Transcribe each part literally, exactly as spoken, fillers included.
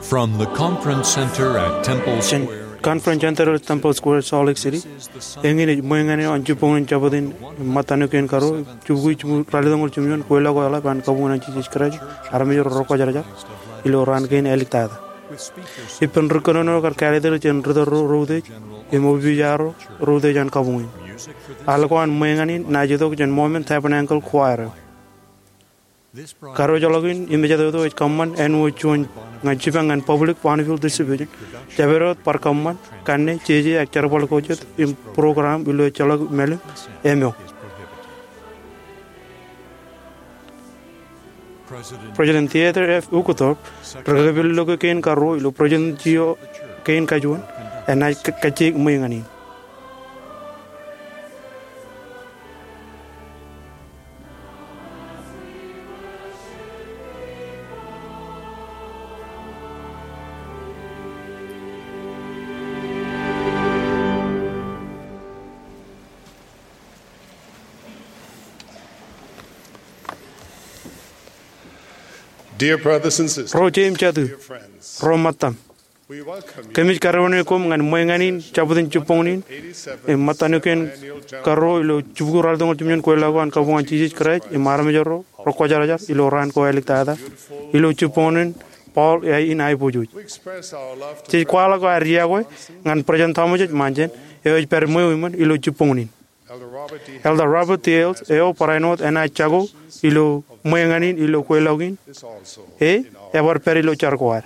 From the Conference Center at Temple Square in Conference Center at Temple Square, Salt Lake City. Eñin ej ṃweeñan in an jibboñin jabōt in ṃōttan eo kein karuo, jibukwi ralitōñoul jimjuon, kweilọk ko eḷap an kabuñ in Jisōs Kraist armej ro rekwōjarjar ilo raan kein āliktata. Ippān ri kōnono kar kāālōt er jān ri tōl ro, ro utiej, im opiij ro, ro utiej an kabuñ in. Al ko an ṃweeñan in enaaj itok jān Mormon Tabernacle Choir eo. Karuo ḷọk in im mejatoto ej kōṃṃan āinwōt juon ñan jipañ ñan Public Bonneville Distribution. Jabdewōt bar kōṃṃan, kanne, jeje ak jerbal ko jet im program ilo ejjeḷọk mālim eo. President Theodore F. Uchtdorf, ri kakipel loke kein karuo ilo President eo kein kajuon, enaaj kajjioñ ṃweeñan in. Dear brothers and sisters, ro jeiū im jatū, dear friends, ro ṃōttam, we welcome you. Kōmij karuwene koṃ ñan ṃweeñan in jabōt in jibboñin im ṃōttan eo kein karuo ilo jibukwi ralitōñoul jimjuon, kweilọk ko an kabuñ an Jisōs Kraist im armej ro rekwōjarjar ilo raan ko āliktata, ilo jibboñin Paul in Aiboojoj. Jej kwaḷọk ad iọkwe ñan President Thomas H. Monson, eo ej pād ṃweo iṃōn ilo jibboñin. Elder Robert D. Hales eo barāinwōt enaaj jako ilo ṃweeñan in ilo kweilọk in, e, ebar pād ilo jar ko ad.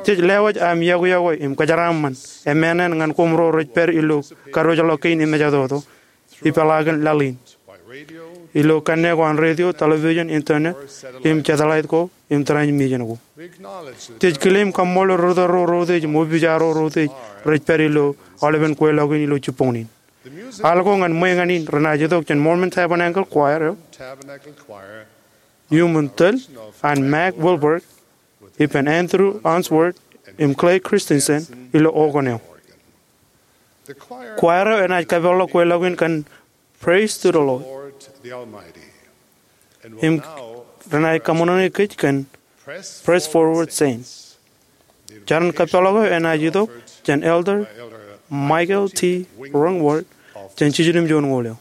Jej lewōj aṃ iọkwe iọkwe im kōjeraaṃṃan, emānān ñan koṃ ro rej pād ilo karuwōjḷọk kein im mejatoto ipeḷaakin laḷ in, ilo kanne ko an radio, television, internet, im satellite ko, im transmission ko. Jej kile im kaṃṃoolol ri tōl ro, ro utiej, im opiij ro, ro utiej, rej pād ilo aolepen kweilọk in ilo jibboñin. Al ko ñan ṃweeñan in renaaj itok jān Mormon Tabernacle Choir eo, iuṃwin tōl an Mack Wilberg, ippān Andrew Unsworth, im Clay Christensen ilo organ eo. Choir eo enaaj kapeḷḷọk kweilọk in kōn Praise to the Lord. Im renaaj kaṃōṇōṇō kōj kōn Press Forward, Saints. Jar in kapeḷḷọk eo enaaj itok jān Elder Michael T. Wentworth jān Jiljilimjuonñoul eo.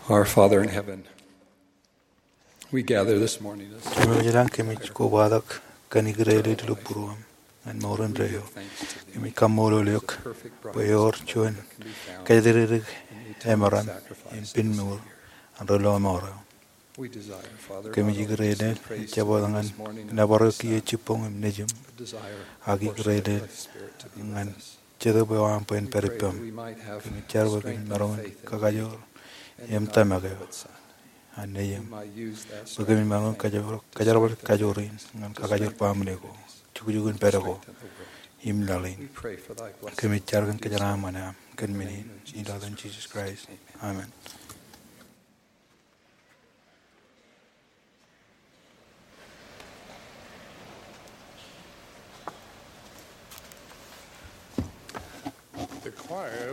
Our Father in heaven, we gather this morning as Jemem ilañ, kōmij kobatok kōn ikdedeḷọñ ilo būruōṃ ñan mour indeeo. Kōmij kaṃṃoolol eok bwe ewōr juon kōjatdikdik emaroñ im pinmour an ri-lọmọọr eo. Kōmij ikdedeḷọñ ej jab wōt ñan nōbar eok kiiō jibboñ im nejiṃ, ak ikdedeḷọñ ñan Jetōb eo aṃ bwe en pād ippaṃ. Kōmij jar bwe kōmij maroñ in kakajoor im tōmak eo an Nejiṃ, bwe kōmij maroñ in kajoor, kajerbal kajoor in ñan kakajoor baaṃle ko, jukjuk in pād ko im laḷ in. Kōmij jar kōn kōjeraaṃṃan eo aṃ kōn men in, ilo etan Jisōs Kraist. Amen.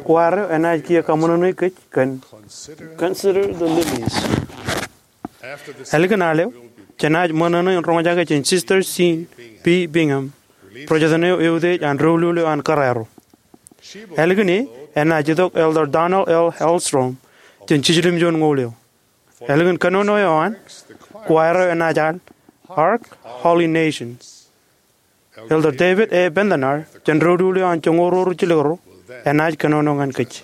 Kwaar eo enaaj kiiō kaṃōṇōṇō kōj kōn Consider the Lilies. Ālikin al eo, jenaaj ṃōṇōṇō in roñjake jān Sister Jean B. Bingham, ro jatōn eo eutiej an doulul eo an kōrā ro. Ālikin e, enaaj itok Elder Donald L. Hallstrom jān jiljilimjuon ñoul eo. Ālikin kōnono eo an, kwaar eo enaaj al Hark, Holy Nation. Elder David A. Bednar jān doulul eo an joñoul ruo ru jilkinro enaaj kōnono ñan kōj.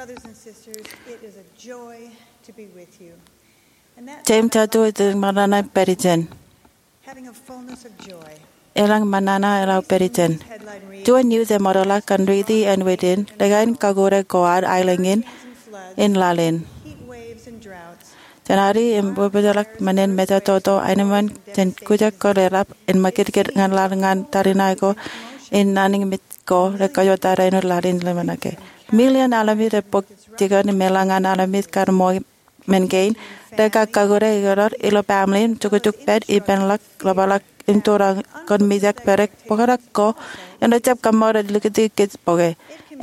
Brothers and sisters, it is a joy to be with you. And that Jeiū im jatū, ij ṃōṇōṇō in pād ijin. Having a fullness of joy. Elōñ ṃōṇōṇō eḷap pād ijin. Headline reads, juon news eṃōrḷọk kōn riiti āinwōt in, lōke in kakure ko ad aelōñ in, in laḷ in. Heat waves and droughts. Jān ari im bwebwejeḷọk men in mejatoto, aenōṃṃan jān kujak ko reḷap, im ṃakūtkūt ñan laḷ ñan tariṇae ko, im naan in mej ko, rej kajjojo tariṇae āinwōt laḷ in ḷōmṇake. Million aḷmid rej bōk jikin im eḷaññe aḷmid kar ṃool men kein, rekar kakure ioḷọk ilo baaṃle im jukjuk pād ippān ḷọk, ḷapḷọk im tūrḷọk kōn mijak bwe rej bōkḷọk ko, im rej jab kaṃṃoolol likūti kōj bōke.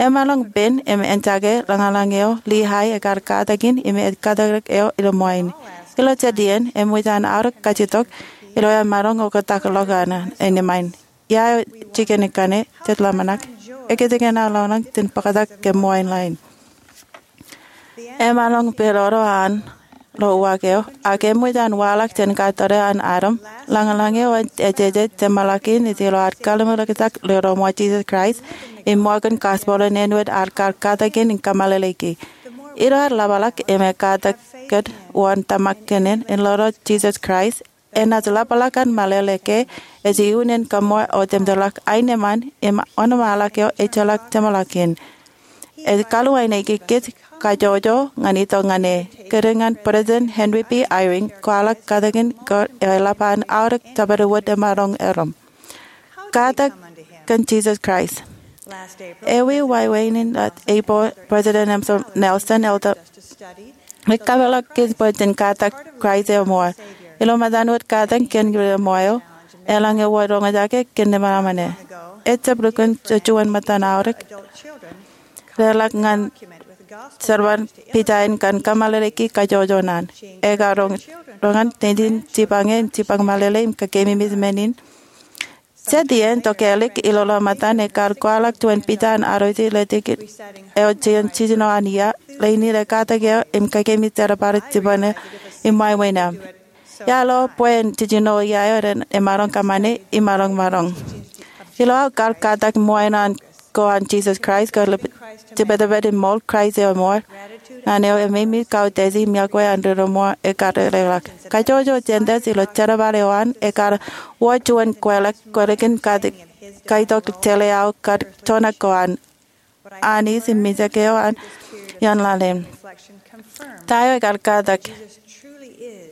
Emaroñ pen im ejjake ḷōñḷōñ eo Lehi ekar katak in im ej katak eo ilo ṃool in. Ilo jet iien, eṃōj an aorōk kajjitōk ilo emaroñ oktak ḷọk an eo nōṃain. Ia eo jikin kaṇe, jet ḷōmṇak, ekōjkan aō ḷōñḷōñ jān bōktak ke ṃool in ḷain. Emaroñ pedodo an ḷo uwaak eo, ak eṃōj an waḷọk jān kattōre an Adam. Ḷōñḷōñ eo ej jeje jeṃḷọkin ej ilo ad kallim̧ur ekjak ilo ro ṃool Jisōs Kraist, im ṃokta kōn gospel in āinwōt ad kar katak in im kōṃṃan ḷōḷōki. Ilo ad ḷapḷọk im ekatak kōn wōn tōmak kōn in, in ḷoḷoḷ Jisōs Kraist, enaaj ḷapḷọk an meḷeḷe ke ej iuun in kōṃṃool otemjeḷọk aenōṃṃan im wōnṃaanḷọk eo ejjeḷọk jeṃḷọkin. Ej kwaḷọk aenōṃṃan kōj kajjojo ñan itok ñan e. Kōrā ñan President Henry B. Eyring kwaḷọk katakin ko eḷap an aorōk jabdewōt emaroñ erom. Katak kōn Jisōs Kraist. Ewi wāween in April, President Nelson eḷap rej kapeḷḷọk kōj bwe jen katak Kraist eo ṃool. Ilo ṃōttan wōt katak kōn ri ṃool eo, eḷaññe wōt roñjake kōn nōṃba ṃane. Ejjab lukkuun juon ṃōttan aorōk reḷak ñan jerbal pija in kōn kōṃṃan ḷōḷōki kajjojo naan. Ekar roñ, roñan teitin jipañ e im jipañ meḷeḷe im kakeememej men in. Jet iien to kālik ilo ḷōṃatan ekar kwaḷọk juon pija an arrowroot ilo tikōn eo jān jiljino an ia, ḷein in ekatak eo im kakeememej jerbal jipañ eo im wāween eo. Ia ḷo bwe en jiljino ia eo ren emaroñ kōṃṃane im maroñ maroñ. Ilo aō kar katak ṃool in an ko an Jisōs Kraist, kar jibadbad im ṃool Kraist eo ṃool ñan eo, eṃṃan kautiej im iọkwe an ri ṃool ekar reḷḷọk. Kajjojo Gentiles ilo jerbal eo an ekar wōr juon kweḷḷọk kwelikūn kaitok jeḷā aō kar joñak ko an Anij im mijak eo an ioon laḷ in. Ta eo ekar katak?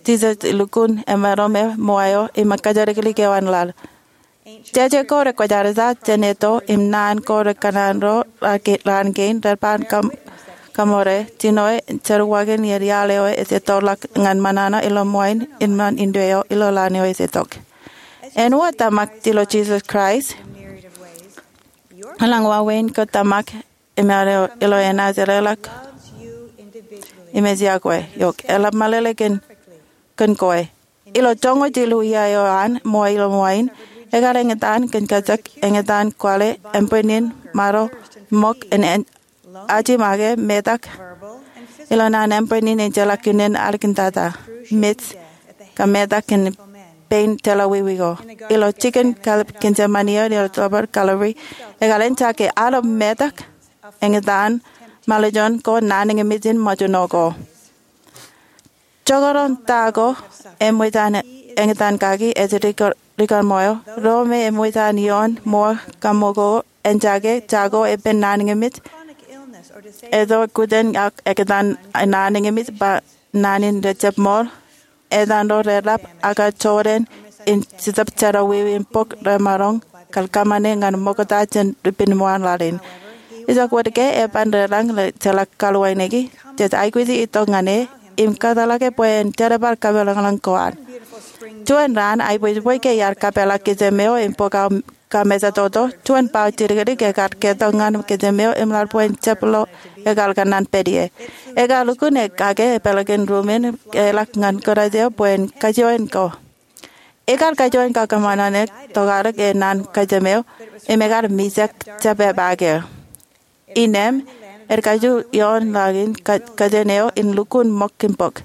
Jisōs lukkuun emaroñ ṃool eo im kōjatdikdik eo an laḷ. Jeje ko rekwōjarjar jān etto im naan ko rekōṇaan ro raan kein rej ban kaṃ-, kaṃṃoolol, jino eo jerọwiwi ñan iaḷ eo ej ettoḷọk ñan ṃōṇōṇō ilo ṃool in, im ñan indeeo ilo laḷ eo ej itok. En wōr tōmak ilo Jisōs Kraist, eḷaññe wāween ko tōmak im ilo enaaj eḷḷọk im ej iọkwe eok, eḷap meḷeḷe kōn, kōn kwe. Ilo joñoul jilu iiō eo an ṃool ilo ṃool in, ekar eñtaan kōn kajjitōk, eñtaan kwaḷe, ānbwinnin, maro, ṃōk, en, en, aji make, metak ilo naan ānbwinnin ejjeḷọk unin alikin tata, mej, kab metak kōn pein jeḷā wiwi ko. Ilo jikin Getsemani eo ilo tōpar Kalvari, ekar eñjake aolep metak, eñtaan, mālōtlōt ko naan ñe mijin ṃōjṇọ ko. Jekdọọn ta ko eṃōj an eñtaan kaki ej rikōrṃo eo, ro me eṃōj an ioon ṃool kaṃṃool ko eñjake jako epen naan ñe mij, etto kuten ak eñtaan naan ñe mij ba naan in rejjab ṃool, etan ro reḷap ak jọteen in jitōb jerọwiwi im bōk remaroñ kar kōṃṃane ñan ṃokta jān ri-pinṃool laḷ in. Ijoke wōt ke eban reḷañ rej jeḷā kaluwāniki, jej aikuji itok ñan e im kōtḷọke bwe en jerbal kapeḷḷọk ko ad. Juon raan, aibwijbwij ke iar kapeḷḷọk kijem eo im bōk aō kamejatoto, juon bao jidikdik ekar ketok ñan kijem eo im ḷak bwe en jab lo ekar kōṇaan pād ie. Ekar lukkuun e kake peḷḷọkin ruuṃ in, eḷak ñan kōrā eo bwe en kajoin ko. Ekar kajoin kakōṃanṃan e tokālik e naan kijem eo im ekar mijak jab epaake. Innem, er kaju ioon laḷ in kōjān eo in lukkuun ṃōk im bōk.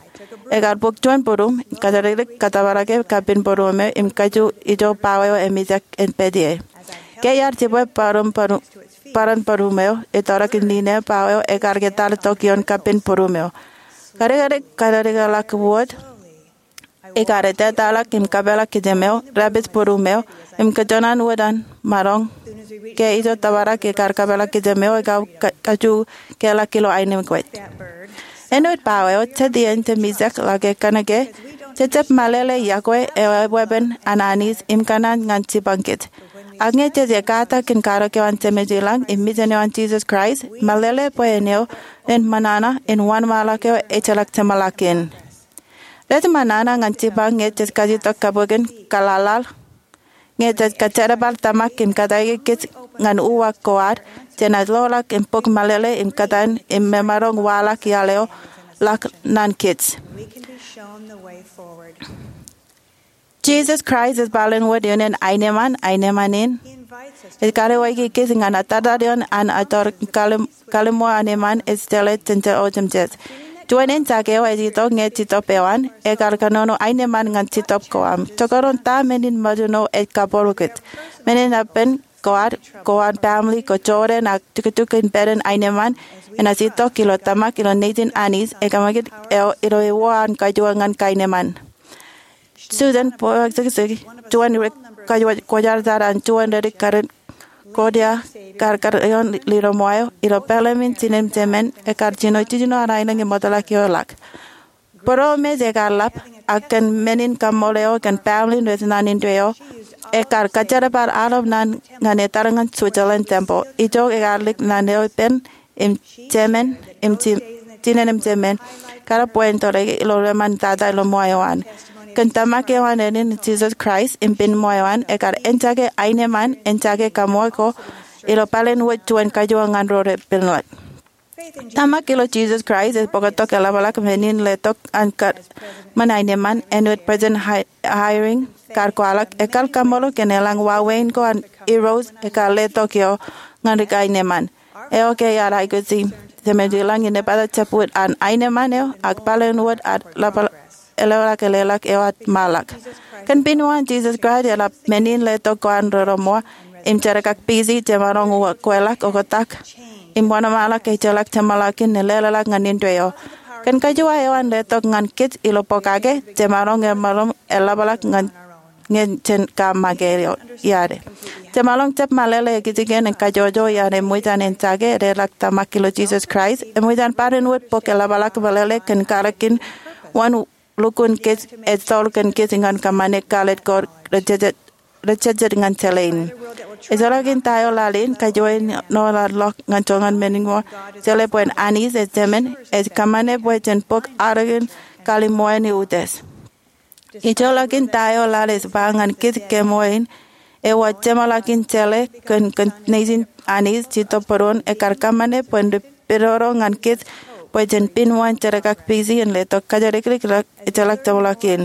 Ekar bōk juon būruṃ, kōjatdikdik kōtōprak e kappin būruṃ eo im kaju ijo bao eo emijak en pād ie. Ke iar jibwe bōran būruṃ eo, ettoḷọk in nine bao eo ekar ke talitok ioon kappin būruṃ eo. Kadikdik kōjatdikdik ḷọk wōt, ekar etetalọk im kapeḷḷọk kijem eo, rej pād būruṃ eo, im kōjwōj wōt an maroñ. Ke ijo tōprak ekar kapeḷḷọk kijem eo, ekar kaju keḷọk ilo aenōṃ kōj. Āinwōt bao eo, jet iien jemijak ḷọk e kōnke jejjab mālōtlōt yokwe eo eweepen an anij im kōṇaan ñan jipañ kōj. Ak ñe jej ekata kōn karōk eo an Jemem ilañ im Mejān eo an Jisōs Kraist, mālōtlōt bwe en eo en ṃōṇōṇō in wōnṃaanḷọk eo ejjeḷọk jeṃḷọkin. Rej ṃōṇōṇō ñan jipañ ñe jej kajutak kabukin kaḷaḷaḷ. Ñe jej kōjerbal tōmak im kōttāik kōj ñan uwaak ko ad, jenaaj loḷọk im bōk mālōtlōt im kōtaan im memaroñ waḷọk iaḷ eo ḷọk naan kōj. Jisōs Kraist ej bōlen wōt iien in aenōṃṃan, aenōṃṃan in. Ej karuwaiki kōj ñan attata ioon an ator kalliṃ kalliṃo an eṃṃan ej jeḷā jān ojemjej. Juon in jake eo ej itok ñe Jetōb eo an, ekar kōnono aenōṃṃan ñan Jetōb ko aṃ. Jekdọọn ta men in ṃōjṇọ ej kabōro kōj. Men in epen ko ad, ko an family, ko jorrāān ak jukjuk in pād in aenōṃṃan, enaaj itok ilo tōmak ilo Nejin Anij, ekōṃakūt eo ilo ewōr an kajuon ñan aenōṃṃan. Susan, bōk sikisiki, juon ri kwōjarjar an juon ri-karin Korea, kar kar ioon Lilo Moaio, ilo peḷaamin jinen jemān, ekar jino jiljino an aelōñ im ṃōtḷọk ioḷọk. Būroṃōj ekar ḷap, ak kōn men in kaṃṃoolol eo kōn family rej naan indeeo, ekar kōjerbal aolep naan ñan etal ñan Switzerland tempeḷ. Ijoke ekar lik naan eo ippān, im jemān, im jin-, jinen im jemān, kar bwe en tōre ilo rōṃṃan tata ilo ṃoa eo an. Kōn tōmak eo an enin Jisōs Kraist im pen ṃoa eo an, ekar eñjake aenōṃṃan, eñjake kaṃṃoolol ko ilo bōlen wōt juon kajuon ñan ro repenḷọk. Tōmak ilo Jisōs Kraist ej bōktok eḷapḷọk men in letok an kōṃṃan aenōṃṃan, āinwōt President Hi-, Eyring kar kwaḷọk, ekar kaṃṃoolol kōn eḷaññe wāween ko an Irooj ekar letok eo ñan ri-aenōṃṃan. Eo ke iar aikuji Jemem ilañ in epata jab wōt an aenōṃṃan eo, ak bōlen wōt an ḷapḷọk, eḷapḷọk, eḷapḷọk eo an ṃaanḷọk. Kōn pen eo an Jisōs Kraist eḷap men in letok ko an rōrōṃṃan im jerkakpeje jemaroñ uwaak kweḷọk oktak im wōnṃaanḷọk ejjeḷọk jeṃḷọkin im leḷọk ñan indeeo. Kōn kajuon eo an letok ñan kōj ilo pokake, jemaroñ, jemaroñ eḷapḷọk ñan ñe jen kab make eo iar. Jemaroñ jab mālōtlōt ekijjeen im kajojo iar eṃōj an eñjake, eḷapḷọk tōmak ilo Jisōs Kraist, eṃōj an bōlen wōt bōk eḷapḷọk mālōtlōt kōn karōk in wōn lukkuun kōj, ej toḷ kōn kōj ñan kōṃṃane kāālōt ko rejejjet, rejejjet ñan jeḷā in. Ejjeḷọkin ta eo laḷ in, kajoor eo an ḷọk ñan joñan men in ṃool, jeḷā bwe Anij ej jemān, ej kōṃṃane bwe jen bōk arōk in kalliṃo in utiej. Ejjeḷọkin ta eo laḷ ej ba ñan kōj kemool in, ewōr jeṃḷọkin jeḷā kōn, kōn Nejin Anij Jetōb būruon ekar kōṃṃane bwe en ri-pedodo ñan kōj bwe jen pen wōn jerkakpeje in letok kōjatdikdik ejjeḷọk jeṃḷọkin.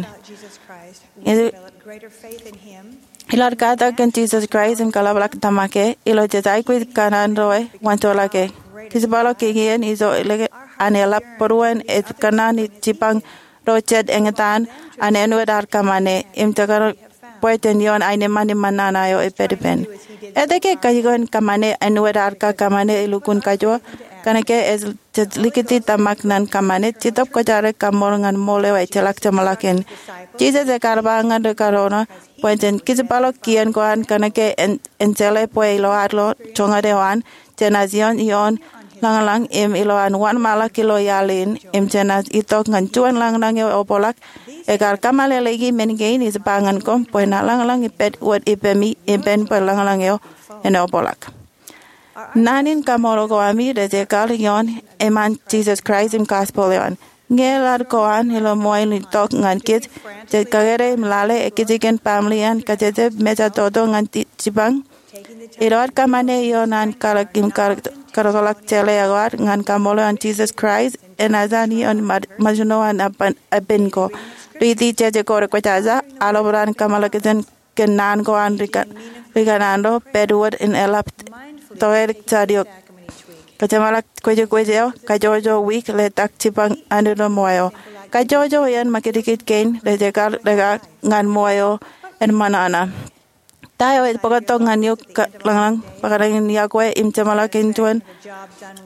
Ilo ad katak kōn Jisōs Kraist im kaḷapḷọk tōmak e, ilo jej aikuj kōṇaan ro e wōnṃaanḷọk e. Kōjparok kiki in ijo ḷọk an eḷap būruon ej kōṇaan jipañ ro jet eñtaan an āinwōt ad kōṃṃane im jekdọọn bwe jen ioon aenōṃṃan im ṃōṇōṇō eo epād ippān. Etke kajjikōn kōṃṃane āinwōt ad kakōṃṃane elukkuun kajoor? Kōnke ej likūti tōmak ñan kōṃṃane, Jetōb Kwōjarjar kaṃṃoolol ñan ṃool eo ejjeḷọk jeṃḷọkin. Jisōs ekar ba ñan rikōṇaan bwe jen kijipḷọk kien ko an kōnke en jeḷā bwe ilo ad lo joñan eo an, jenaaj ioon ioon lañlōñ im ilo an wōnṃaanḷọk ilo iaḷ in, im jenaaj itok ñan juon lañlōñ eo eobrak. Ekar kōmeḷeḷeiki men kein ij ba ñan koṃ bwe ṇa lañlōñ ippaṃ wōt ippemi ippān bwe lañlōñ eo en eobrak. Naan in kaṃṃoolol ko ami rej ekar ioon eṃṃan Jisōs Kraist im gospel eo an. Ñe eḷap ko an ilo ṃool in itok ñan kōj, jej kōkōrā im lale ekijjeen family an kajjitōk mejatoto ñan jipañ. Ilo ad kōṃṃane ioon an kalōk im kaḷọk jeḷā eo ad ñan kaṃṃoolol an Jisōs Kraist, enaaj an ioon ṃōjṇọ an eppān ko. Riiti jeje ko rekwōjarjar, aḷap an kōmālōtlōt kōn naan ko an rikōṇaan ro, pād wōt im eḷap tokālik jān eok. Kōjeṃḷọk kwōjkwōj eo, kajjojo wiik, letak jipañ anij ilo ṃool eo. Kajjojo iien ṃakūtkūt kein rej ekar leḷọk ñan ṃool eo en ṃōṇōṇō. Ta eo ej bōktok ñan eok lañlōñ bōktok ñan yokwe im jeṃḷọkin juon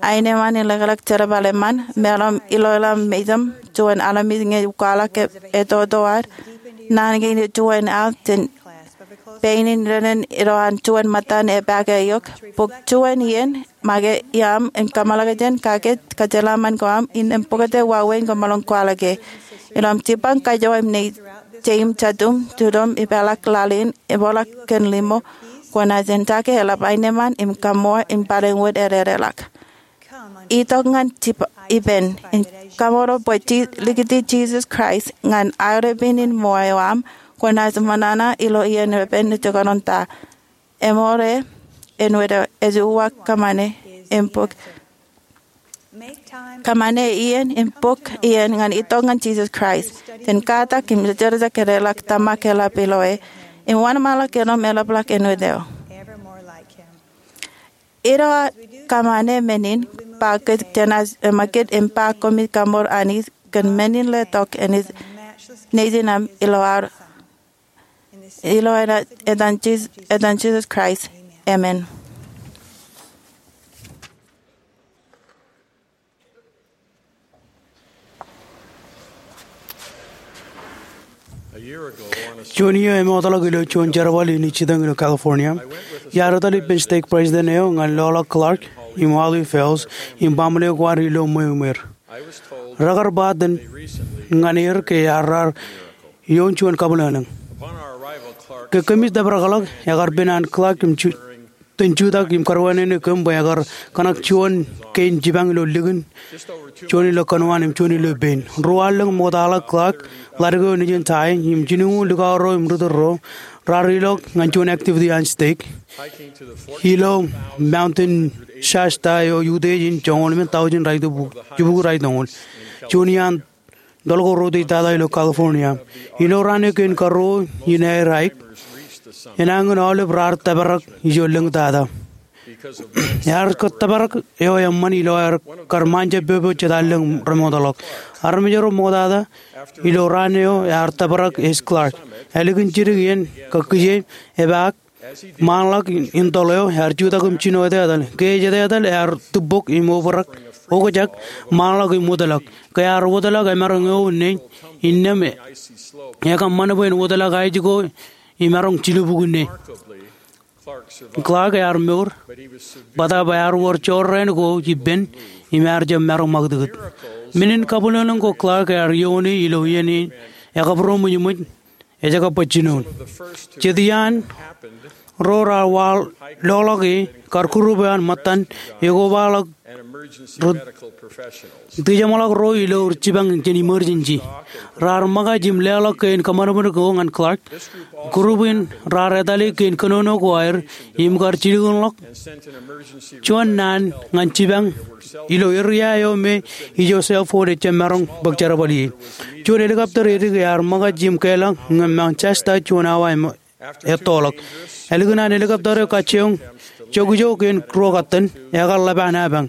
aenōṃṃan in leḷọk jerbal eṃṃan, meḷọkḷọk ilo ḷōḷḷap mejaṃ, juon armej ñe kwaḷọk etoto ad, naan kein ej juon al jān pein in dān ilo an juon ṃōttan epaake eok, bōk juon iien make iaṃ im kōmālōtlōt kake kōjeraṃṃan ko aṃ innām bōktok wāween koṃṃool in kwaḷọke. Ilo aṃ jipañ kajoor im nejiṃ, jeiṃ, jatūṃ, jitōṃ, ipeḷḷọk laḷ in, epeḷḷọk kōn limo, kwōnaaj en take eḷap aenōṃṃan im kaṃṃoolol im barāinwōt ededeḷọk. Itok ñan ippān im kaṃṃoolol bwe likūti Jisōs Kraist ñan aerepin in ṃool eo aṃ, kwōnaaj ṃōṇōṇō ilo iien epen ejekdọọn ta. Eṃool eo āinwōt eo ej uwaak kōṃṃane im bōk. Kōṃṃane iien im bōk iien ñan itok ñan Jisōs Kraist. Jen katak im jejjeḷọk edeḷọk tōmak eḷap ilo e im wōnṃaanḷọk ilo eḷapḷọk āinwōt eo. Ilo ad kōṃṃane men in, ba kōj jenaaj eṃṃakūt im ba koṃij kaṃṃoolol Anij kōn men in letok Nejin aṃ ilo ad Ilo etan Jisōs Kraist, amen. Juon iiō emootḷọk ilo juon jerbal in ij jitōñ ilo California, iar etal ippān stake president eo ñan loḷọk Clark im Wally Fales im baaṃle ko ad ilo ṃweo im er. Rekar ba itōn ñan er ke ear raar ioon juon kabwilōñlōñ. Ke kōmij tōprakḷọk, ekar pen an Clark im ju-, itōn jutak im karuwainene kōm bwe ekar kōṇak juon kein jipañ ilo likin, juon ilo kōnwaan im juon ilo pein. Ruo allōñ ṃoktaḷọk Clark, ḷadik eo nejin tie, im jilñuul likao ro im ri tōl ro, raar ilọk ñan juon activity an stake. Ilo Mountain Shasta eo utiej in joñoul emān taujin raitōñoul, jibukwi raitōñoul. Juon iaan toḷ ko routōktata ilo California. Ilo raan eo kein karuo in aer hike, enañin aolep raar tōprak ijo lōñtata. Ear tōprak eo eṃṃan ilo aer kar ṃaanjab popo jet allōñ remootḷọk. Armej ro ṃoktata ilo raan eo ear tōprak ej Clark. Ālikin jidik iien kōkije, epaak, ṃaanḷọk in toḷ eo, ear jutak im jino etetal. Ke ej etetal ear tūbok im obrak, okjak, ṃaanḷọk im wōtlọk. Ke ear wōtlọk emaroñ eo ṇe, innām ekōṃṃan bwe en wōtlọk aij ko im maroñ jilubukwi ṇe. Clark ear mour, bōtaab ear wōr jorrāān ko ippān im ear jab maroñ ṃakūtkūt. Men in kabwilōñlōñ ko Clark ear ioone ilo iien in ekabūroṃōjṃōj ej kab baj jinoin. Jet iaan ro raar waḷọk e kar group eo an ṃōttan ekobaḷọk ri-, ri-jeṃḷọk ro ilo ri jipañ jān emergency. Raar ṃōkaj im leḷọk kein kōṃanṃan ko ñan Clark. Group in raar etale kein kōnono ko aer im kar jilkinḷọk juon naan ñan jipañ ilo area eo me ijo cell phone ejjab maroñ bōk jerbal ie. Juon helicopter edik ear ṃōkaj im keḷọk ñan Mount Shasta juon awa im ettoḷọk. Ālikin an helicopter eo kajjioñ jokjok kein ruo katten, ekar ḷap an apañ.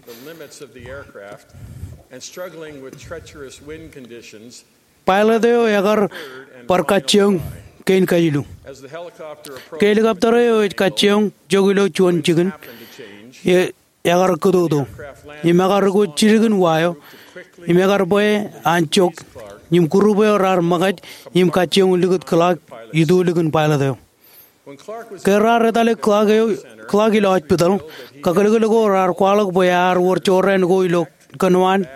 Pilot eo ekar bar kajjioñ kein kajilu. Ke helicopter eo ej kajjioñ jok ilo juon jikin, e, ekar kōtōtō im ekar rūkōt jidikin wa eo im ekar bwe an jok im group eo raar ṃōkaj im kajjioñ likūt Clark itulikin pilot eo. Ke raar etale Clark eo, Clark ilo hospital, kakōlkōl ko raar kwaḷọk bwe ear wōr jorrāān ko ilo kōnwaan,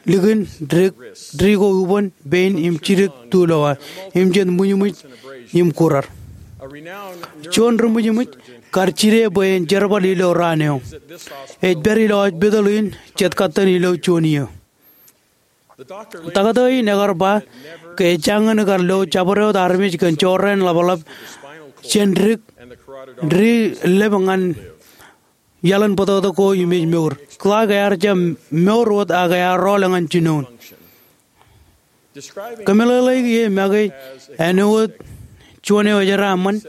likin, didik, di ko ubōn, pein im jidik tulowa, im jen ṃwijṃwij im kurar. Juon ri ṃwijṃwij kar jide bwe en jerbal ilo raan eo. Ej pād ilo hospital in jet katten ilo juon iiō. Taktō in ekar ba ke ejjañin kar lo jabdewōt armej kōn jorrāān ḷapḷap jān dik, di lep ñan iaḷan bōtōktōk ko im ej mour. Clark ear jab mour wōt ak ear rọọl ñan jinoin. Kōmeḷeḷeiki e make āinwōt juon eo ejeraṃṃan,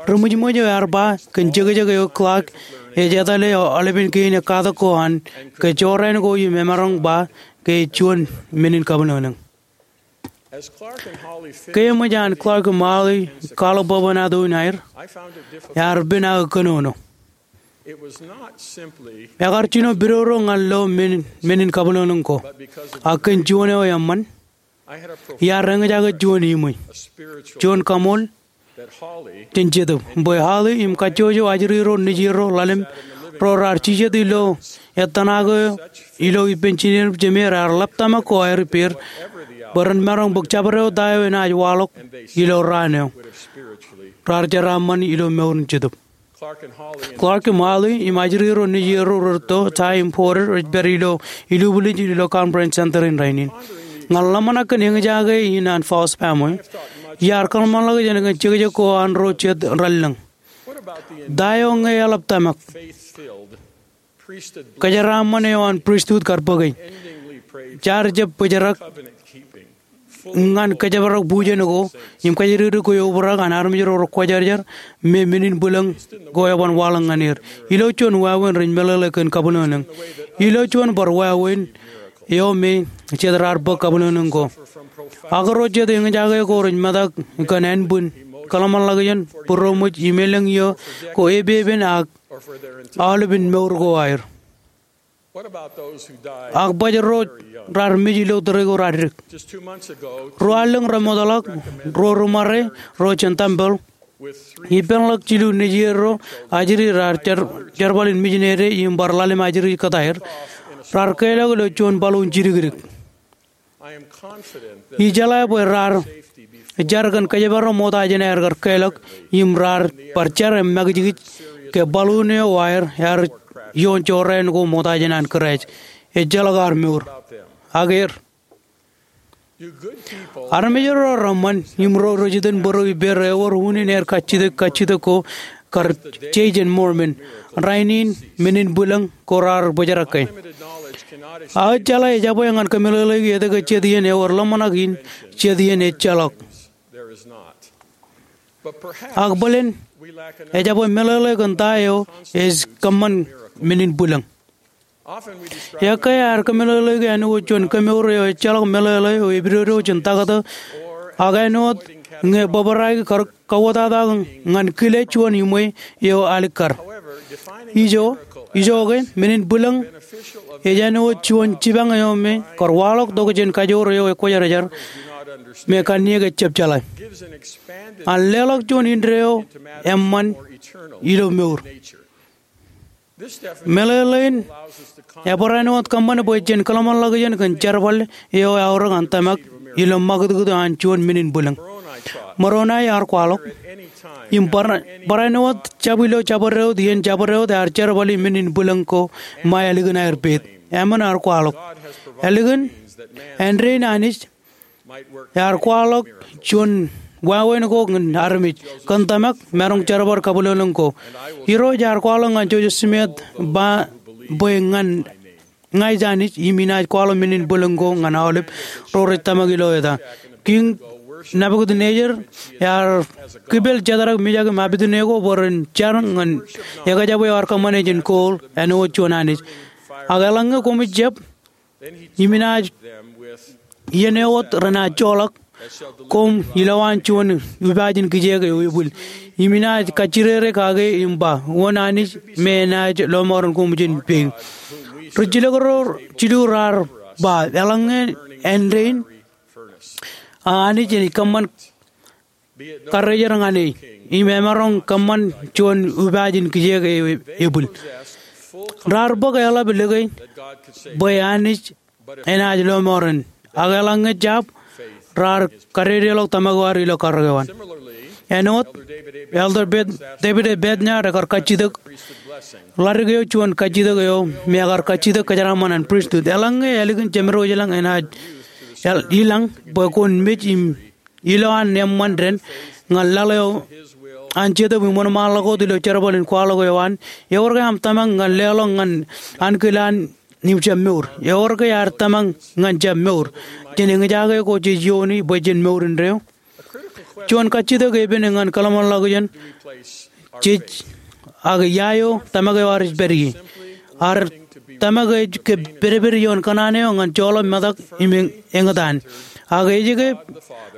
ri ṃwijṃwij eo ear ba kōn jekjek eo Clark ej etale aolepen kein ekkatak ko an ke jorrāān ko im emaroñ ba ke ej juon men in kabwilōñlōñ. Ke eṃōj an Clark im Holly kwaḷọk bwebwenato in aer, ear pen aō kōnono. Ekar jino pidodo ñan lo men, men in kabwilōñlōñ ko, ak kōn juon eo eṃṃan, iar eñjake juon iṃwe, juon kaṃool jān Jetōb, bwe Holly im kajjojo ajri ro nejierro ḷalem ro raar jijet ilo ettōṇaak eo ilo ippān jined jemāer ear ḷap tōmak ko aer ippāer bwe ren maroñ bōk jabdewōt ta eo enaaj waḷọk ilo raan eo raar jeraaṃṃan ilo mour in Jetōb. Clark im Holly im ajri ro nejierro rerūtto, Ty im Porter, rej pād ilo ilubwilej ilo Conference Center in rainin. Ñan ḷōmṇak kōn eñjake in an False Family, iar kōḷmānḷọkjeṇ kōn jekjek ko an ro jet rāllōñ. Ta eo ñe eḷap tōmak? Kōjeraaṃṃan eo an pristut kar bōke. Jaar jab bōjrak ñan kōjparok bujen ko im kōjatdikdik ko eobrak an armej ro rekwōjarjar me men in bwilōñ ko eban waḷọk ñan er. Ilo juon wāween rej meḷeḷe kōn kabwilōñlōñ. Ilo juon bar wāween eo me jet raar bōk kabwilōñlōñ ko. Ak ro jet eñjake ko rej metak kōn ānbwin, kōḷmānḷọkjeṇ, būroṃōj im elōñ iiō ko epepen ak aolepen mour ko aer. Ak baj ro raar mej ilo tōre ko raar dik. Ruo allōñ remootḷọk, ruo ri ṃare ro jān tempeḷ ippānḷọk jilu nejierro ajri raar jer-, jerbal in mijinede im bar ḷalem ajri kōtaer, raar keḷọk ilo juon baḷuun jidikdik. Ijeḷā bwe raar jar kōn kōjparok ṃokta jān aer kar keḷọk im raar bar jar im makijkij ke baḷuun eo aer ear ioon jorrāān ko ṃokta jān an Kraist. Ejjeḷọk ar mour. Ak er. Armej ro reṃṃan im ro rej itōn bōro ippāer ewōr unin aer kajjitōk kajjitōk ko kar je jān Mormon. Rainin men in bwilōñ ko raar bōjrak ke. Aō jeḷā ejabwe ñan kōmeḷeḷeiki etke jet iien ewōr ḷōmṇak in jet iien ejjeḷọk. Ak bōlen ejabwe meḷeḷe kōn ta eo ej kōṃṃan men in bwilōñ. Ekkā ear kōmeḷeḷeiki āinwōt juon kemour eo ejjeḷọk meḷeḷe eo epidodo jān taktō, ak āinwōt ñe bōbraik kar kauwōtata ñan kile juon iṃwe eo alikkar. Ijo, ijoke, men in bwilōñ ej āinwōt juon jipañ eo me kar waḷọk tok jān kajoor eo ekwōjarjar me kanniōk ejjab jeḷā. An leḷọk juon indeeo eṃṃan ilo mour. Meḷeḷein ebar āinwōt kōṃṃan bwe jen kōḷmānḷọkjeṇ kōn jerbal eo eaorōk an tōmak ilo ṃakūtkūt eo an juon men in bwilōñ. Moroni ear kwaḷọk, im bar, bar āinwōt jab ilo jabdewōt iien jabdewōt ear jerbali men in bwilōñ ko ṃae ālikin aer peid. Eṃṃan ear kwaḷọk. Ālikin, āindein Anij ear kwaḷọk juon wāween ko ñan armej, kōn tōmak, maroñ jerbal kabwilōñlōñ ko. Irooj ear kwaḷọk ñan Joseph Smith ba bwe ñan ña ij Anij, im inaaj kwaḷọk men in bwilōñ ko ñan aolep ro rej tōmak ilo eta. Kiiñ Nebukadnezzar ear kipel Jedrak, Mishak im Abednego bwe ren jar ñan ekjab eo ear kōṃṃane jān gold āinwōt juon anij. Ak eḷaññe koṃij jab, im inaaj iien eo wōt renaaj joḷọk koṃ ilowaan juon upaaj in kijeek eo ebwil. Im inaaj kajjirere kake im ba, wōn Anij me enaaj lọmọọren koṃ jān pein. Rijjilōk ro jilu raar ba, eḷaññe āindein, a Anij enaaj kōṃṃan karrejer ñan e, im emaroñ kōṃṃan juon upaaj in kijeek eo ebwil. Raar bōk eḷap likūt bwe Anij enaaj lọmọọren. Ak eḷaññe jab, raar kadedeḷọk tōmak eo ad ilo karōk eo an. Āinwōt, Elder Bed-, David A. Bednar ekar kajjitōk ḷadik eo juon kajjitōk eo me ekar kajjitōk kōjeraaṃṃan an pristut. Eḷaññe ālikin jemed eo ilañ enaaj el-, ilañ bwe kwōn mej im ilowaan eṃṃan dān ñan laḷ eo an Jetōb im wōnṃaanḷọk wōt ilo jerbal in kwaḷọk eo an, ewōr ke aṃ tōmak ñan leḷọk ñan ankilaan im jab mour? Ewōr ke ad tōmak ñan jab mour jān eñjake ko jej iooni bwe jen mour indeeo? Juon kajjitōk epen ñan kōḷmānḷọkjeṇ jej, ak ia eo tōmak eo ad ej pād ie. Ad tōmak ej ke pedped ioon kōṇaan eo ñan joḷọk metak im eñ-, eñtaan. Ak ej ke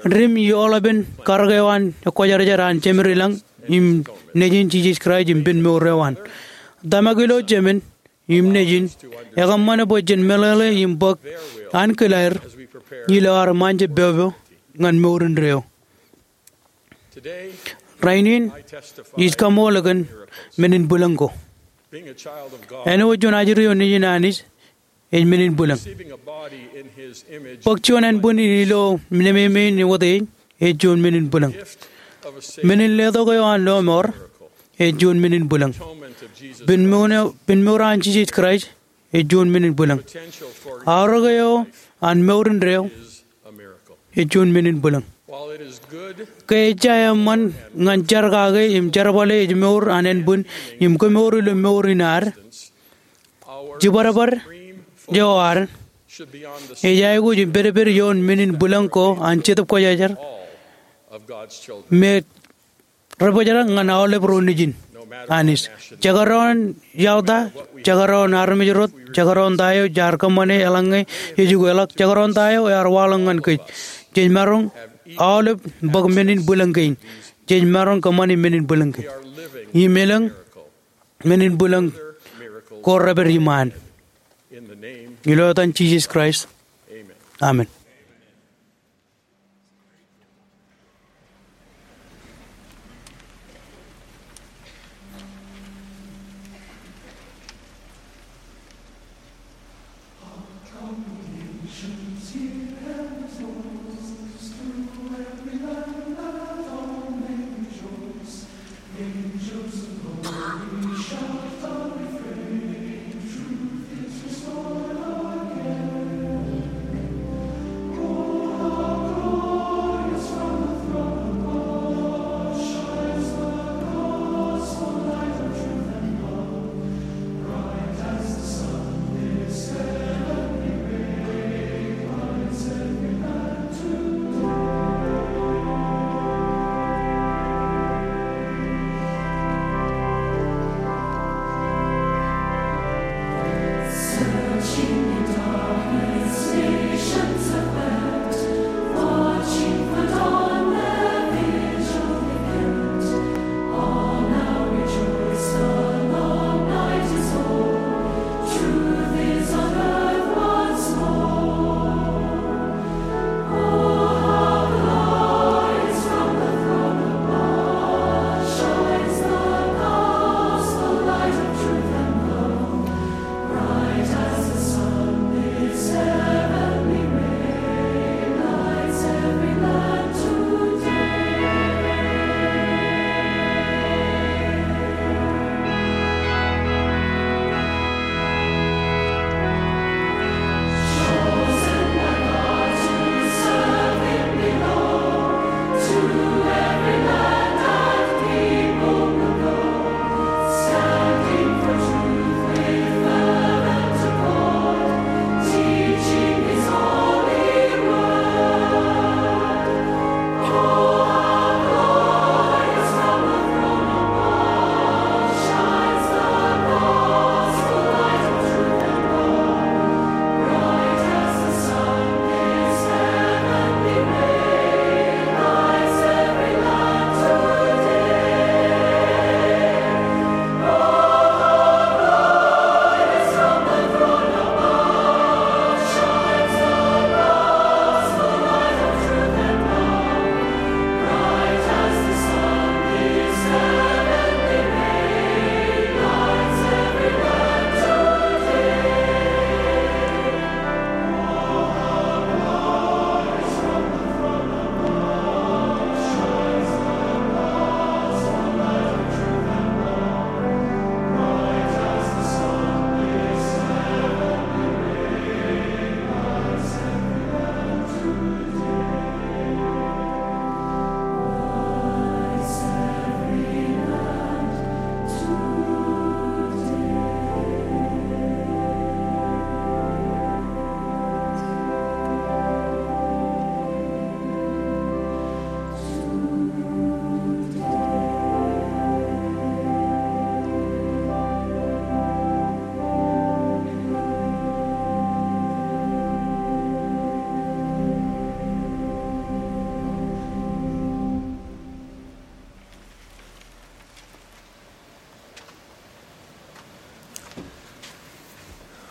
dim ioḷapān karōk eo an kwōjarjar an Jemed ilañ im Nejin Jisōs Kraist im pen mour eo an. Tōmak ilo Jemān im Nejin ekōṃṃane bwe jen meḷeḷe im bōk ankilaer ilo ad ṃaanjab popo ñan mour indeeo. Rainin ij kaṃool kōn men in bwilōñ ko. Āinwōt juon ajri eo nejin Anij ej men in bwilōñ. Bōk juon ānbwin in ilo nememein Wōt e ej juon men in bwilōñ. Men in letok eo an lọmọọr ej juon men in bwilōñ. Pen mour eo, pen mour an Jisōs Kraist ej juon men in bwilōñ. Aorōk eo an mour indeeo ej juon men in bwilōñ. Ke ejja eṃṃan ñan jar kake im jerbale ej mour an ānbwin im kemour ilo mour in ad, jibadbad eo ad ej aikuj im pedped ioon men in bwilōñ ko an Jetōb Kwōjarjar me rej bōjrak ñan aolep ro nejin Anij. Jekdọọn yaḷ ta, jekdọọn armej rot, jekdọọn ta eo jaar kōṃṃane eḷaññe ej ukeḷọk, jekdọọn ta eo ear waḷọk ñan kōj, jej maroñ aolep bōk men in bwilōñ kein. Jej maroñ kōṃṃane men in bwilōñ kein. Im elōñ men in bwilōñ ko repād iṃaan. Ilo etan Jisōs Kraist. Amen.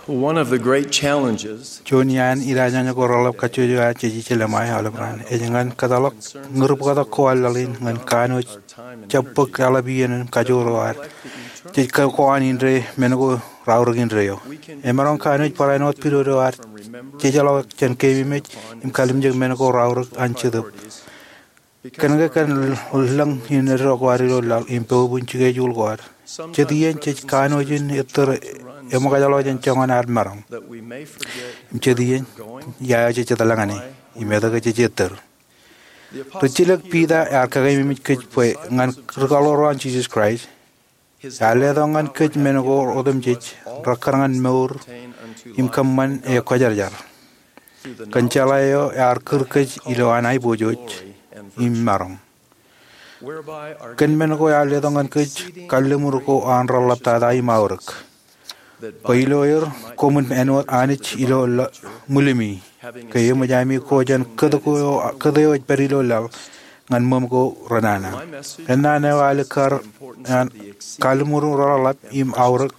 One of the great challenges Juon iaan ilaajñe ko reḷap kajjojo aō jej ejjeḷọk im aolep raan ej ñan kōtḷọk ñūr bōktok ko an laḷ in ñan kanooj jab bōk eḷap iien im kajoor eo ad jej kōṇaan indeeo men ko raorōk indeeo. Emaroñ kanooj barāinwōt pidodo ad jejeḷọk jān keememej im kalimjek men ko raorōk an Jetōb. Kōnke kōn lōñ in eddo ko ad ilo laḷ im poub in jikejuul ko ad, jet iien jej kanooj in ettōr eṃōkajḷọk jān joñan ad maroñ. Im jet iien iaeo jej jet lōñān e im etke jej ettōr. Rijjilōk Piter ear kakeememej kōj bwe ñan ri kaḷoor eo an Jisōs Kraist, ear letok ñan kōj men ko otemjej rekkar ñan mour im kōṃṃan e kwōjarjar. Kōn jeḷā eo ear kūr kōj ilo an aiboojoj im maroñ. Kōn men ko ear letok ñan kōj kalliṃur ko an reḷḷap tata im aorōk, bwe ilo er koṃwin āinwōt Anij ilo ṃwilemi, ke eṃōj ami ko jān kōt eo ej pād ilo laḷ ñan ṃōṃ ko renana. Kōnnaan eo aō ālikkar an kalliṃur reḷḷap im aorōk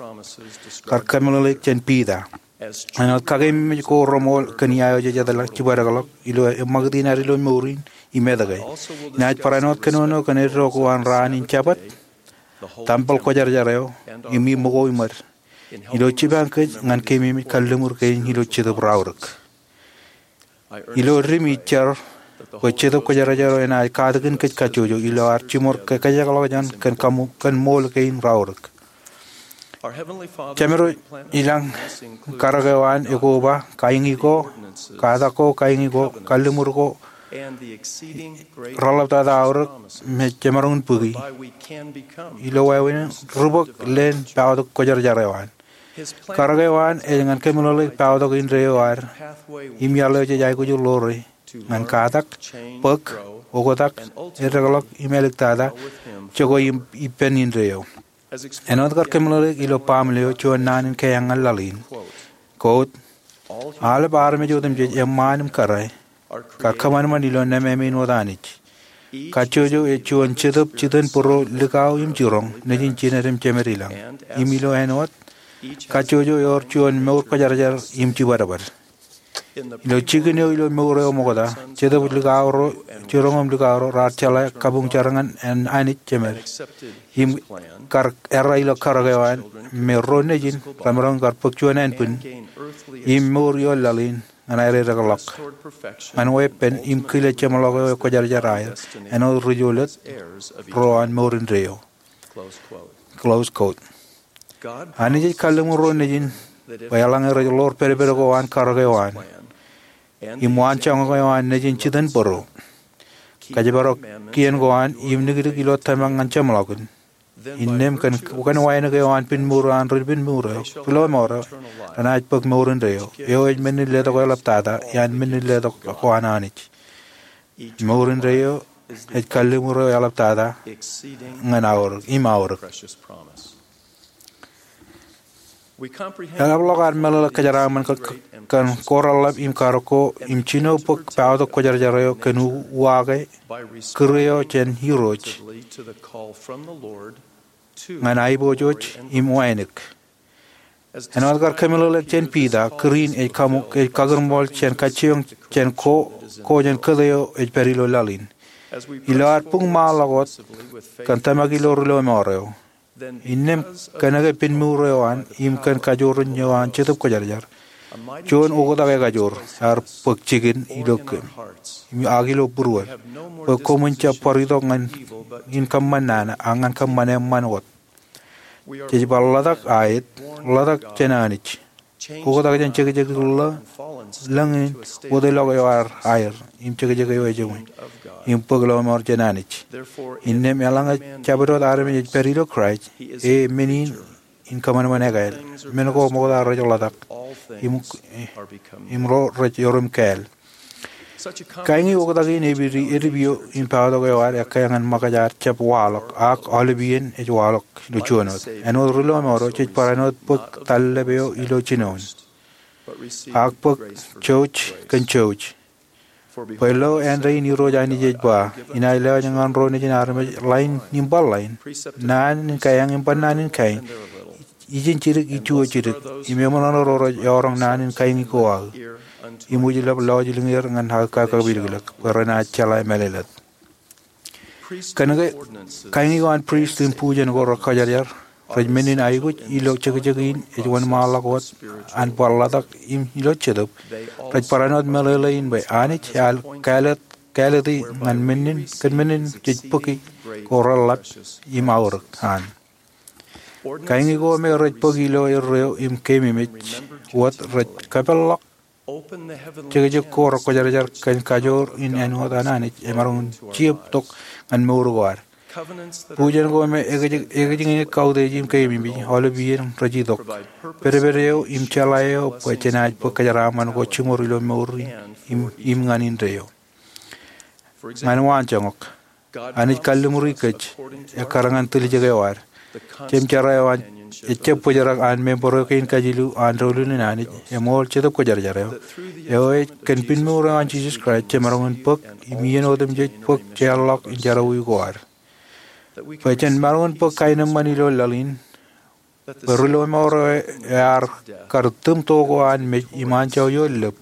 kar kōmeḷeḷeik jān Piter. Āinwōt kakeememej ko reṃool kōn iaeo jej jet lōñān jibadekḷọk ilo eṃṃakūt in ad ilo mour in im etke, inaaj barāinwōt kōnono kōn eddo ko an raan in Jabōt, tempel kwōjarjar eo, im iṃōko im wōt, ilo jipañ kōj ñan keememej kalliṃur kein ilo Jetōb raorōk. Ilo dim ij jar bwe Jetōb Kwōjarjar eo enaaj katakin kōj kajjojo ilo ad jiṃor kōkajekḷọk jān kōn ṃool kein raorōk. Jemedwōj ilañ karōk eo an ekoba, kaiñi ko, katak ko, kaiñi ko, kalliṃur ko, reḷḷap tata aorōk me jemaroñ in bōki ilo wāween ri bōk leen paotok kwōjarjar eo an. Karōk eo an ej ñan kōmeḷeḷeik paotok indeeo ad im iaḷ eo jej aikuj ḷoore ñan katak, bōk, oktak, eddekḷọk im āliktata jokwe im ippān indeeo. Āinwōt kar kōmeḷeḷeik ilo Baaṃle eo juon naan in keañ ñan laḷ in, quote, aolep armej otemjej eṃṃaan im kōrā kar kōṃanṃan ilo nemāmein wōt Anij. Kajjojo ej juon jetōb jitōnbōro likao im jiroñ nejin jined im jemed ilañ. Im ilo āinwōt kajjojo ewōr juon mour kwōjarjar im jibadbad. Ilo jikin eo ilo mour eo ṃokta, jetōb likao ro, jiroñ im likao ro raar jeḷā kabuñ jar ñan Anij Jemed im kar errā ilo karōk eo an me ro nejin remaroñ kar bōk juon ānbwin im mour ioon laḷ in ñan aer edekḷọk ñan weeppān im kile jeṃḷọk eo ekwōjarjar aer āinwōt ri-jolōt ro an mour indeeo. Close quote. Anij ej kalliṃur ro nejin bwe eḷaññe rej ḷoor pedped ko an karōk eo an im waanjoñak eo an nejin jitōnbōro, kōjparok kien ko an im nikdik ilo tōmak ñan jeṃḷọkin, innām kōn wānōk eo an pinmuur eo an ri pinmuur eo, ri lọmọọr eo, renaaj bōk mour indeeo, eo ej men in letok eḷaptata iaan men in letok ko an Anij. Mour indeeo ej kalliṃur eo eḷaptata ñan aorōk im aorōk. Eḷapḷọk ad meḷeḷe kōjeraaṃṃan kōn ko reḷḷap im karōk ko im jino bōk paotok kwōjarjar eo kōn uwaak e kūr eo jān Irooj ñan aiboojoj im wānōk. Āinwōt kar kōmeḷeḷeik jān Piter, kūr in ej kaṃ-, ej kakūrṃool jān kajjioñ jān ko, ko jān kōt eo ej pād ilo laḷ in. Ilo ad buñmaanḷọk wōt kōn tōmak ilo ri lọmọọr eo, innām kōnke pinmuur eo an im kōn kajoor in eo an Jetōb Kwōjarjar, juon oktak ekajoor ear bōk jikin ilo kōm im ak ilo būruod, bwe koṃwin jab bar itok ñan in kōṃṃan nana, ak ñan kōṃṃan eṃṃan wōt. Jej bar ḷotak aet, ḷotak jān Anij, oktak jān jekjek ḷō, lōñ in wōtlọk eo ar aer im jekjek eo ejeṃwe, im bōk lọmọọr jān Anij. Innām eḷaññe jabdewōt armej ej pād ilo Kraist, e men in in kōṃanṃan ekāāl. Men ko ṃokta rej ḷotak im, im ro rej erom kāāl. Kaiñi oktak in epidi edipio im paotok eo ad ekkā ñan ṃōkaj ad jab waḷọk, ak aolepien ej waḷọk ilo juon wōt. Āinwōt ri lọmọọr eo, jej barāinwōt bōk tallep eo ilo jinoin, ak bōk jouj kōn jouj. Bwe lo āindein Irooj Anij ej ba, inaaj lewōj ñan ro nejin armej ḷain im bar ḷain, naan in kaeñ im bar naan in kaeñ, ijin jidik iju eo jidik, im eṃōṇōṇō ro rej eoroñ naan in kain ko aō, im ujlep lọjilñier ñan aō kakapilōklōk bwe renaaj jeḷā mālōtlōt. Kōnke kain ko an prist im bujen ko rekwōjarjar rej men in aikuj ilo jekjek in ej wōnṃaanḷọk wōt an bar ḷotak im ilo jetōb, rej barāinwōt meḷeḷe in bwe Anij ear kāālōt, kāālōti ñan men in, kōn men in jej bōki ko reḷḷap im aorōk an. Kain ko me rej bōk ilo erreo im keememej wōt rej kapeḷḷọk jekjek ko rekwōjarjar kōn kajoor in āinwōt an Anij emaroñ in jab tok ñan mour ko ad. Bujen ko me ekijñe kautiej im keememej aolep iien rej itok pedped eo im jeḷā eo bwe jenaaj bōk kōjeraaṃṃan ko jiṃor ilo mour in im, im ñan indeeo. Ñan waanjoñak, Anij kalliṃuri kōj ekkar ñan tiljek eo ad. Jemjerā eo an ejjab bōjrak an membro kein kajilu an doulul in Anij eṃool Jetōb Kwōjarjar eo, eo ej kōn pinmour eo an Jisōs Kraist jemaroñ in bōk im iien otemjej bōk jeorḷọk in jerọwiwi ko ad. Bwe jen maroñ in bōk kaenōṃṃan ilo laḷ in, bwe ri-lọmọọr eo ear kar tūm to ko an mej im anjọ ioon lōb,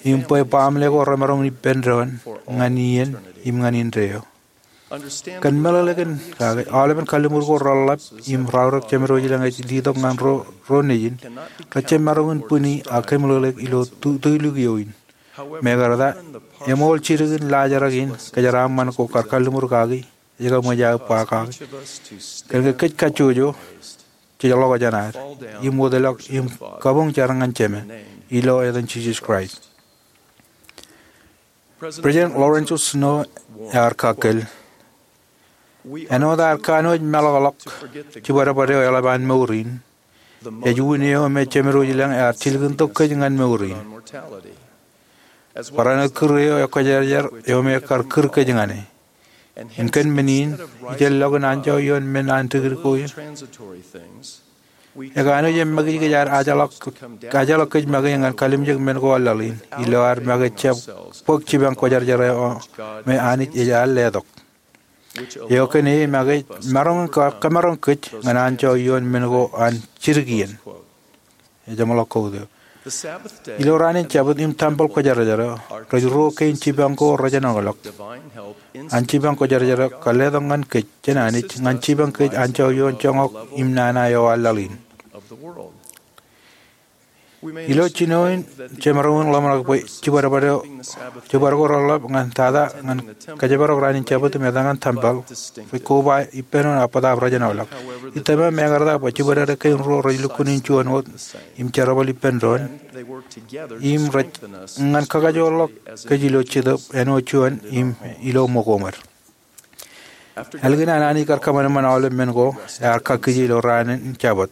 im bwe baaṃle ko remaroñ in ippān doon ñan iien im ñan indeeo. Kōn meḷeḷe kōn kake, aolepen kalliṃur ko reḷḷap im raorōk jemed eo ilañ ej letok ñan ro, ro nejin, rejjab maroñ in bwini ak kōmeḷeḷeik ilo tu-, tulik eo in. Mekarta, eṃool jidik in laajrak in kōjeraaṃṃan ko kar kalliṃur kaki, ej kaṃōj aō ba kaki. Kōnke kōj kajjojo, jej ḷọk jān ad, im wōtlọk im kabuñ jar ñan Jemān, ilo etan Jisōs Kraist. President Lorenzo Snow ear kakkōl, āinwōt ad kanooj meḷọkḷọk jibadbad eo eḷap an mour in, ej un eo me Jemed wōj ilañ ear jilkintok kōj ñan mour in. Barāinwōt kūr eo ekwōjarjar eo me ekar kūr kōj ñane. Im kōn men in, ijellọkin anjọ ioon men an dikdik ko, ekanooj im makijkij ad ajḷọk, ajḷọk kōj make ñan kalimjek men ko an laḷ in, ilo ad make jab bōk jipañ kwōjarjar eo me Anij ej al letok. Eo kōn e make ej maroñ in ka-, kamaroñ kōj ñan anjọ ioon men ko an jidik iien. Ej jeṃḷọk quote eo. Ilo raan in Jabōt im tempeḷ kwōjarjar eo, rej ruo kein jipañ ko rejenoḷọk. An jipañ kwōjarjar eo kar letok ñan kōj jān Anij, ñan jipañ kōj anjọ ioon joñak im nana eo an laḷ in. Ilo jino in, jemaroñ in ḷōmṇak bwe jibadbad eo, jibadbad ko reḷḷap ñan tata ñan kōjparok raan in Jabōt im etal ñan tempeḷ, rej koba ippān doon ak bōtaab rejenoḷọk. Itōma mekarta bwe jibadbad kein ruo rej lukkuun in juon wōt im jerbal ippān doon, im rej ñan kakajoorḷọk kōj ilo jetōb āinwōt juon im ilo ṃōko ṃōd. Ālikin an Anij kar kōṃanṃan aolep men ko, ear kakkije ilo raan in Jabōt.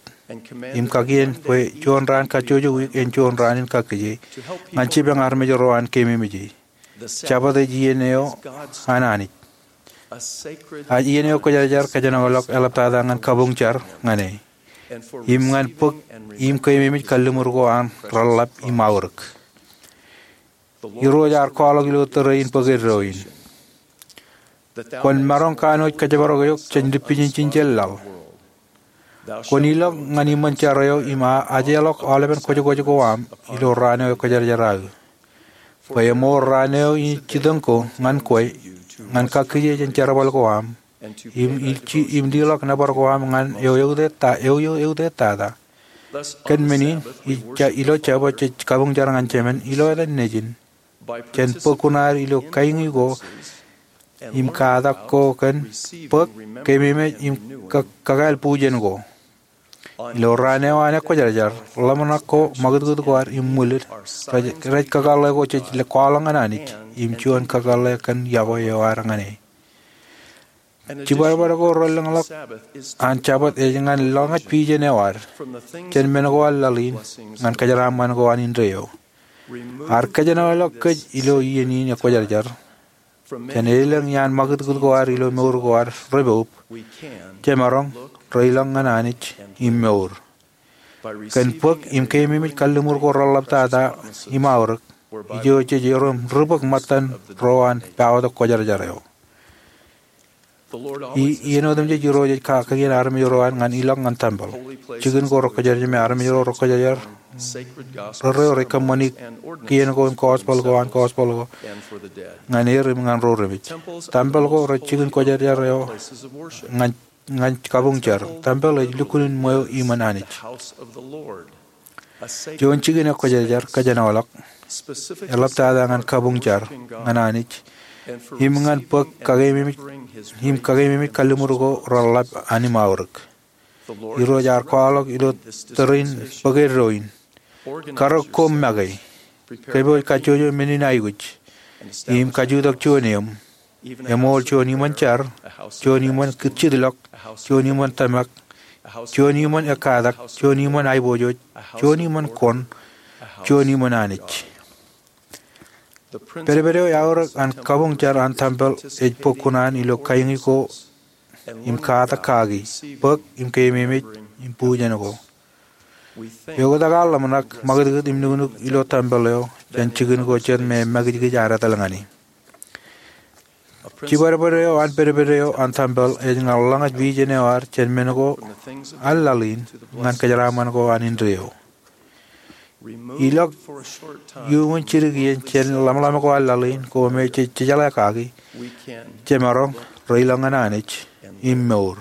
Im kakien bwe juon raan kajjojo wiik en juon raan in kakkije, ñan jipañ armej ro an keememej e. Jabōt ej iien eo an Anij. Ej iien eo kwōjarjar kōjenolọk eḷaptata ñan kabuñ jar ñan e. Im ñan bōk im keememej kalliṃur ko an reḷḷap im aorōk. Irooj ear kwaḷọk ilo tōre in bōk eddo in. Kwōn maroñ kanooj kōjparok eok jān lipijin jinjel laḷ. Kwōn ilọk ñan iṃōn jar eo im a-, ajeḷọk aolepen kwōjkwōj ko aṃ ilo raan eo ekwōjarjar aō. Bwe eṃool raan eo in jitōñ ko ñan kwe, ñan kakkije jān jerbal ko aṃ. Im, im leḷọk nōbar ko aṃ ñan eo eutiej ta-, eo, eo eutiej tata. Kōn men in, ij ja-, ilo Jabōt jej kabuñ jar ñan Jemān, ilo etan Nejin. Jān bōk kuṇaad ilo kain ko, im katak ko kōn, bōk, keememej im ka-, kakāāl bujen ko. Ilo raan eo an ekwōjarjar, ḷōmṇak ko, ṃakūtkūt ko ad im ṃwilid, rej, rej kakōḷḷe ko jej kwaḷọk ñan Anij, im juon kakōḷḷe kōn yokwe eo ad ñan e. Jibadbad ko relōñḷọk an Jabōt ej ñan lōñej pijen eo ad, jān men ko an laḷ in, ñan kōjeraaṃṃan ko an indeeo. Ear kōjenolọk kōj ilo iien in ekwōjarjar. Jān elōñ iaan ṃakūtkūt ko ad ilo mour ko ad repoub, jemaroñ, reilọk ñan Anij, im mour. Kōn bōk im keememej kalliṃur ko reḷḷap tata im aorōk, ijo jej erom ri-bōk ṃōttan ro an paotok kwōjarjar eo. Iien otemjej Irooj ej kakien armej ro an ñan ilọk ñan tempel, jikin ko rekwōjarjar im armej ro rekwōjarjar, rerreo rej kōṃṃani kien ko im gospel ko an gospel ko ñan er im ñan ro remej. Tempel ko rej jikin kwōjarjar eo ñan kabuñ jar. Tempel ej lukkuun ṃweo iṃōn Anij. Juon jikin ekwōjarjar kōjenolọk, eḷaptata ñan kabuñ jar ñan Anij im ñan bōk im kakeememej kalliṃur ko reḷḷap an im aorōk. Irooj ear kwaḷọk ilo tōre in bōk eddo in, karōk koṃ make, kōpooj kajjojo men in aikuj, im kajutak juon eṃ, eṃool juon iṃōn jar, juon iṃōn jidlọk, juon iṃōn tōmak, juon iṃōn ekkatak, juon iṃōn aiboojoj, juon iṃōn koṇ, juon iṃōn Anij. Pedped eo eaorōk an kabuñ jar an tempel ej bōk kuṇaan ilo kaiñi ko im katak kaki, bōk im keememej im bujen ko. Eoktak aō ḷōmṇak ṃakūtkūt im nuknuk ilo tempel eo jān jikin ko jet me makijkij ear etal ñan e. Jibadbad eo an pedped eo an tempel ej ñan ḷōñaj vision eo ad jān men ko an laḷ in ñan kōjeraaṃṃan ko an indeeo. Ilọk iuṃwin jidik iien jān ḷōmṇak ko an laḷ in ko me jej jejeḷā kaki, jemaroñ reilọk ñan Anij im mour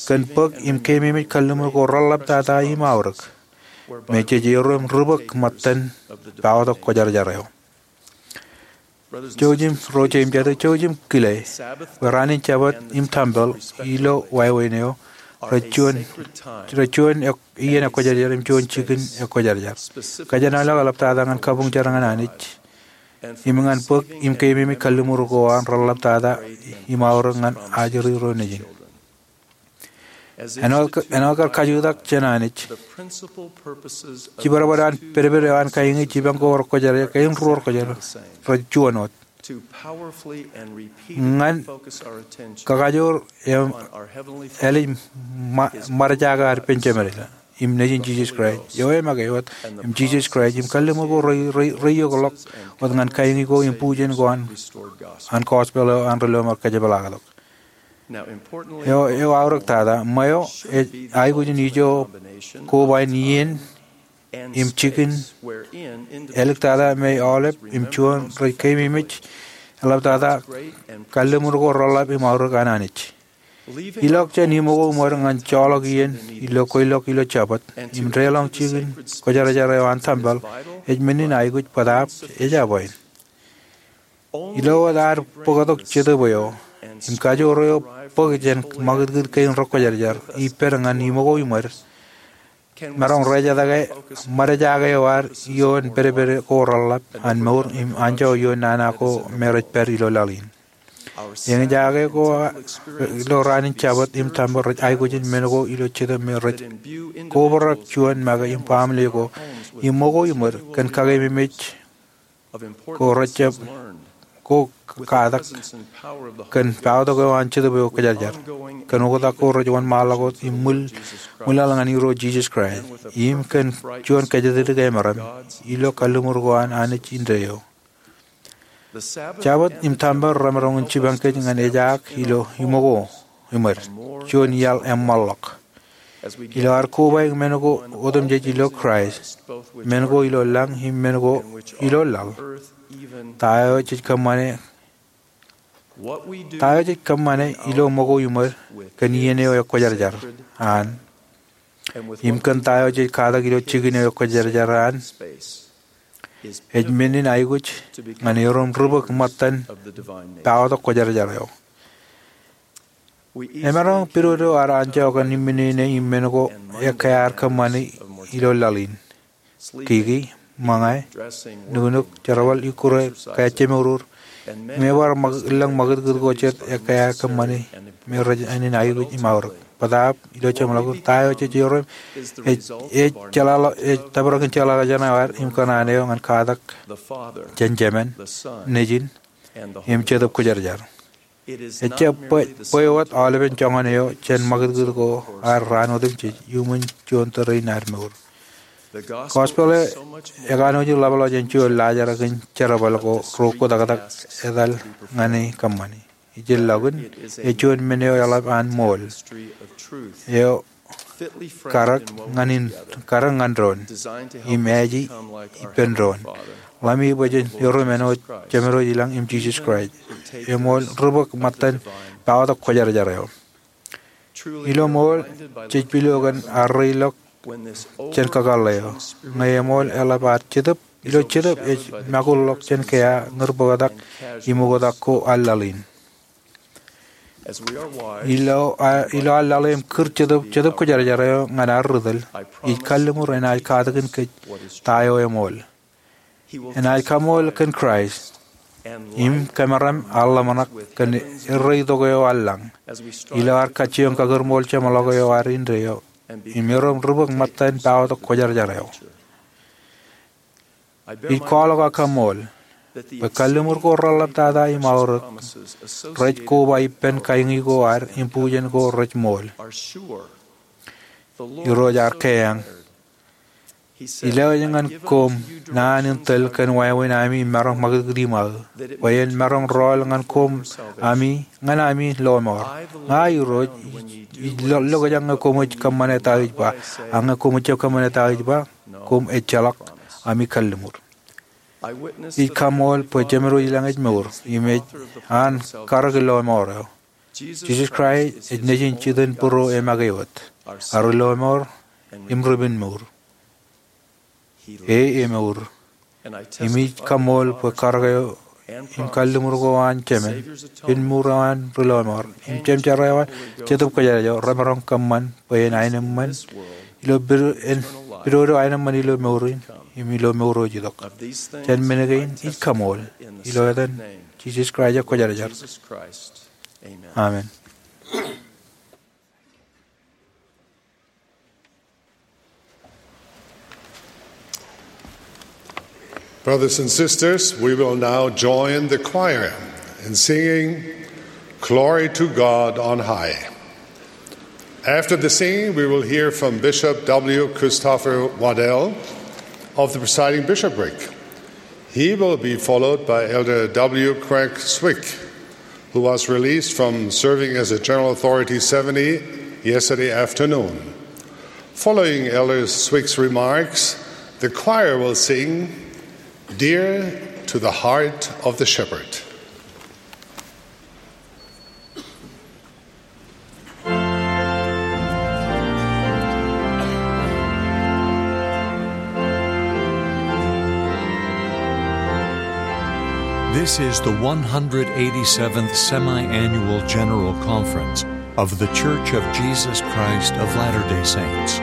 kōn bōk im keememej kalliṃur ko reḷḷaptata im aorōk me jej erom ri-bōk ṃōttan paotak kwōjarjar eo. Jouj im ro jeiū im jatū, jouj im kile bwe raan in Jabōt im tempel ilo wāween eo rej juon, rej juon iien ekwōjarjar im juon jikin ekwōjarjar. Kōjenolọk eḷaptata ñan kabuñ jar ñan Anij im ñan bōk im keememej kalliṃur ko an reḷḷaptata im aorōk ñan ajri ro nejin. Āinwōt kar kajutak jān Anij, jibadbad an pedped eo an kaiñi, jipañ ko rekwōjarjar, kein ruo rekwōjarjar rej juon wōt. Ñan kakajoor im ālij ṃadjake ad penjāmānḷọk im Nejin Jisōs Kraist, eo emake wōt im Jisōs Kraist, im kalliṃur ko rej, rej, rej iokḷọk wōt ñan kaiñi ko im bujen ko an, an gospel eo an ri-lọmọọr kōjepḷaaktok. Eo, eo aorōk tata, ṃweo ej aikuj in ijo koba in iien im jikin āliktata me aolep im juon rej keememej eḷaptata kalliṃur ko reḷḷap im aorōk an Anij. Ilọk jān iṃōko iṃōd ñan joḷọk iien ilo kweilọk ilo Jabōt im deḷọñ jikin kwōjarjar eo an tempel ej men in aikuj bōtaab ejabwe. Ilo wōt ad bōktok Jetōb eo im kajoor eo bōk jān ṃakūtkūt kein rekwōjarjar ippād ñan iṃōko iṃōd, maroñ rejatake ṃadjake eo ad ioon pedped ko reḷḷap an mour im anjọ ioon nana ko me rej pād ilo laḷ in. Eñjake ko ilo raan in Jabōt im tempel rej aikuj in men ko ilo Jetōb me rej kobrak juon make im baaṃle ko iṃōko iṃōd kōn kakeememej ko rejjab ko katak kōn paotak eo an Jetōb eo Kwōjarjar, kōn oktak ko rej wōnṃaanḷọk wōt im ṃwilaḷ ñan Irooj Jisōs Kraist, im kōn juon kōjatdikdik emaroñ ilo kalliṃur ko an Anij indeeo. Jabōt im tempel remaroñ in jipañ kōj ñan ejaak ilo iṃōko iṃōd, juon iaḷ eṃṃanḷọk. Ilo ad kobaik men ko otemjej ilo Kraist, men ko ilo lañ im men ko ilo laḷ, ta eo jej kōṃṃane, ta eo jej kōṃṃane ilo iṃōko iṃōd kōn iien eo ekwōjarjar an, im kōn ta eo jej katak ilo jikin eo ekwōjarjar an, ej men in aikuj ñan erom ri-bōk ṃōttan paotak kwōjarjar eo. Emaroñ pidodo ad anjọ kōn iṃminene im men ko ekkā ad kōṃṃane ilo laḷ in. Kiki, ṃōñā, nuknuk, jerbal, ikkure, kajjimour, im ebar ṃōk-, lōñ ṃakūtkūt ko jet ekkā ad kōṃṃane me rej men in aikuj im aorōk. Bōtaab ilo jeṃḷọkin, ta eo jej erom ej, ej jeḷāḷọk, ej tōprak in jeḷāḷọkjeṇ eo ad im kōṇaan eo ñan katak jān Jemān, Nejin, im Jetōb Kwōjarjar. Ejjab bwe, bwe wōt aolepen joñan eo jān ṃakūtkūt ko ad raan otemjej iuṃwin juon tōre in ad mour. Gospel eo ekanooj in ḷapḷọk jān juon laajrak in jerbal ko ro kōtaktak etal ñan e kōṃṃani. ijellọkin, ej juon men eo eḷap an ṃool. Eo karōk ñan in, karōk ñan doon, im aji ippān doon. Ḷami bwe jen erom āinwōt Jemedwōj ilañ im Jisōs Kraist. Eṃool ri-bōk ṃōttan paotak kwōjarjar eo. Ilo ṃool, jej pilo kōn arreilọk jān kakōḷḷe eo. Ñe eṃool eḷap ad jetōb, ilo jetōb ej makulḷọk jān kea ñūr bōktak im oktak ko allaḷ in. Ilo, a, ilo ad laḷ im kūr Jetōb, Jetōb Kwōjarjar eo ñan ad ri tōl, ij kalliṃur enaaj katakin kōj ta eo eṃool. Enaaj kaṃool kōn Kraist im kōmeram aḷ ḷōmṇak kōn erreo itok eo eḷap an lañ ilo ad kajjioñ kakūrṃool jeṃḷọk eo ad indeeo eo im erom ri-bōk ṃōttan paotak kwōjarjar eo. Ij kwaḷọk aō kaṃool bwe kalliṃur ko reḷaptata im aorōk rej koba ippān kaiñi ko ad im bujen ko rej ṃool. Irooj ear keeañ, Ij lewōj ñan koṃ naan in tōl kōn wāween ami im maroñ ṃakūtkūt iṃaō, bwe en maroñ rọọl ñan koṃ ami, ñan ami lọmọọr. Ña Irooj, ij lo-, lokaak ñe koṃij kōṃṃane ta ij ba, ak ñe koṃij jab kōṃṃane ta ij ba, koṃ ejjeḷọk. Ami kalliṃur. Ij kaṃool bwe Jemedwōj ilañ ej mour, im ej an karōk ilọmọọr eo. Jisōs Kraist ej Nejin jitōnbōro im make wōt, ad ilọmọọr im ribenmour. E emour. Im ij kaṃool bwe karōk eo im kalliṃur ko an Jemān, Inmour eo an ri lọmọọr, im Jemjer eo an Jetōb Kwōjarjar eo remaroñ kōṃṃan bwe en aenōṃṃan ilo pid-, en pidodo aenōṃṃan ilo mour in im ilo mour eo ej itok. Jān men kein ij kaṃool ilo etan Jisōs Kraist eo Kwōjarjar. Amen. Brothers and sisters, we will now join the choir in singing Glory to God on High. After the singing, we will hear from Bishop W. Christopher Waddell of the presiding bishopric. He will be followed by Elder W. Craig Swick, who was released from serving as a General Authority seventy yesterday afternoon. Following Elder Swick's remarks, the choir will sing Dear to the Heart of the Shepherd. This is the one hundred eighty-seventh Semi-Annual General Conference of The Church of Jesus Christ of Latter-day Saints.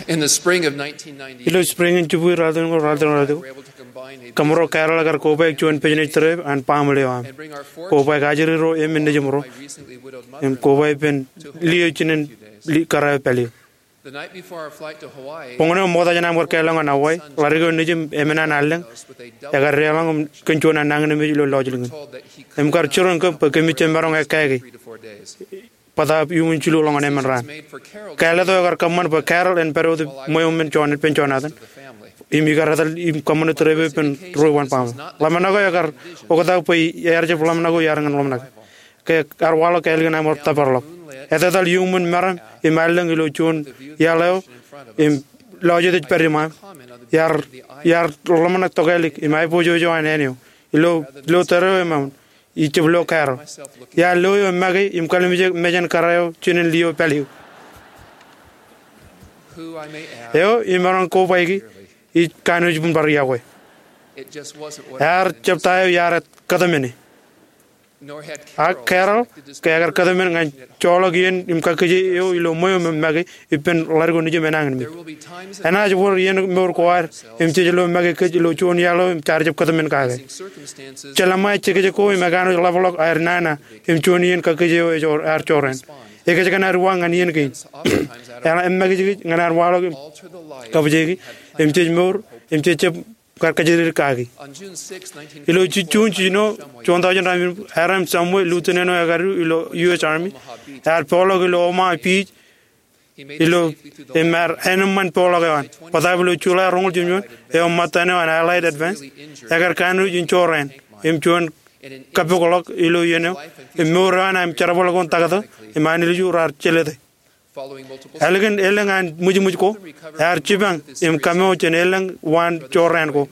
Ilo spring in jibukwi raar tōl ko raar tōl ko, kōmro Carol ekar kobaik juon business trip an baaṃle eo aṃ. Kobaik ajri ro emān nejiṃ ro im kobaik ippān liō jinen kōrā eo pād eo. Boñōn eo ṃokta jān aṃ kar kālọñ ñan Hawaii, ḷadik eo nejiṃ emān an allōñ ekar deḷọñ kōn juon an nañinmej ilo lọjilñin im kar jiroñ kōm bwe kōmij jab maroñ ekkā ke bōtaab iuṃwin jilu ḷọk ñan emān raan. Kāālōt eo ekar kōṃṃan bwe Carol en pād wōt ṃweo men ippān Jonathan im ikar etal im kōṃṃane trip eo ippān ruo ippān baaṃle. Ḷōmṇak eo ekar oktak bwe ear jab ḷōmṇak eo iar ñan ḷōmṇak ke ear waḷọk ālikin aṃ wōr tōpar ḷọk. Etetal iuṃwin meram im allōñ ilo juon iaḷ eo im lọjet ej pād iṃaaṃ. Iar, iar ḷōmṇak tokālik im aiboojoj eo an āne eo. Ilo, ilo tōre eo eṃṃan, ij jab lo Carol. Iar lo eo make im kallimjek mejān kōrā eo jinen liō pād eo. Eo imaroñ kobaiki, ij kanooj im bar iọkwe. Ear jab ta eo iar kōtmāne. Ak Carol ke ekar kōtmān ñan joḷọk iien im kakkije eo ilo ṃweo me make ippān ḷadik eo nejiṃ enañinmej. Enaaj wōr iien mour ko ad im jej lo make kōj ilo juon iaḷ eo im jaar jab kōtmān kake. Jeḷā ṃae jekjek ko im ekanooj ḷapḷọk aer nana im juon iien kakkije eo ej ear jorrāān. Ekōjkan ad uwaak ñan iien kein. Eḷaññe emakijkij ñan ad waḷọk im kabwejeki im jej mour im jej jab kar kajjitōk kaki. Ilo Juun jiljino, juon taujin raṇ, Hyrum Shumway, lieutenant eo ekadu ilo U S Army, ear poḷọk ilo Omaha Beach ilo, im ear eneṃṃan poḷọk eo an. Bōtaab ilo July roñoul jimjuon, eo ṃōttan eo an Allied Advance, ekar kanooj in jorrāān im juon kappok ḷọk ilo iien eo, im mour eo an im jerbal ko in taktō im anilju raar jelōte. Ālikin elōñ an ṃwijṃwij ko, ear jipañ im kaṃṃool jān elōñ waan jorrāān ko.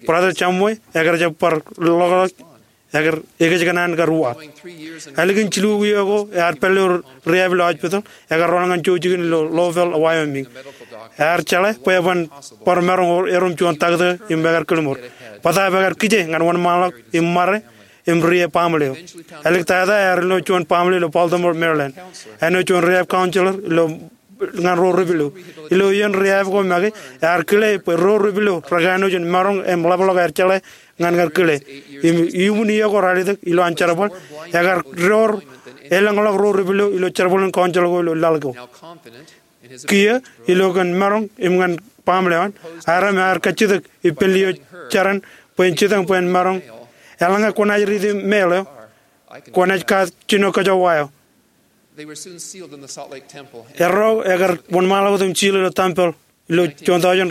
Brother Shumway ekar jab bar ḷokḷok, ekar ekōjkan an kar uwaak. Ālikin jilukwi iiō ko ear pād ilo rehab ilo hospital, ekar rool ñan jouj jikin ilo Lovell, Wyoming. Ear jeḷā bwe eban bar maroñ erom juon taktō im ekar kōḷmor. Bōtaab ekar kije ñan wōnṃaanḷọk im ṃare im ri baaṃle eo. Āliktata ear ilo juon baaṃle ilo Baltimore, Maryland. Āinwōt juon rehab counselor ilo ñan ro ri pilo. Ilo iien rehab ko make, ear kile bwe ro ri pilo rekanooj in maroñ im ḷapḷọk aer jeḷā ñan kar kile. Im iuṃwin iiō ko raar itok ilo an jerbal, ekar door elōñḷọk ro ri pilo ilo jerbal in counselor ko ilo laḷ ko. Kiiō, ilo kōn maroñ im ñan baaṃle eo an, Hyrum ear kajjitōk ippān liō jeran bwe en jitōñ bwe en maroñ. Eḷaññe kwōnaaj riiti mail eo, kwōnaaj kaat jino kōjọwa eo. Erro ekar wōnṃaanḷọk wōt im seal ilo tempeḷ ilo juon taujin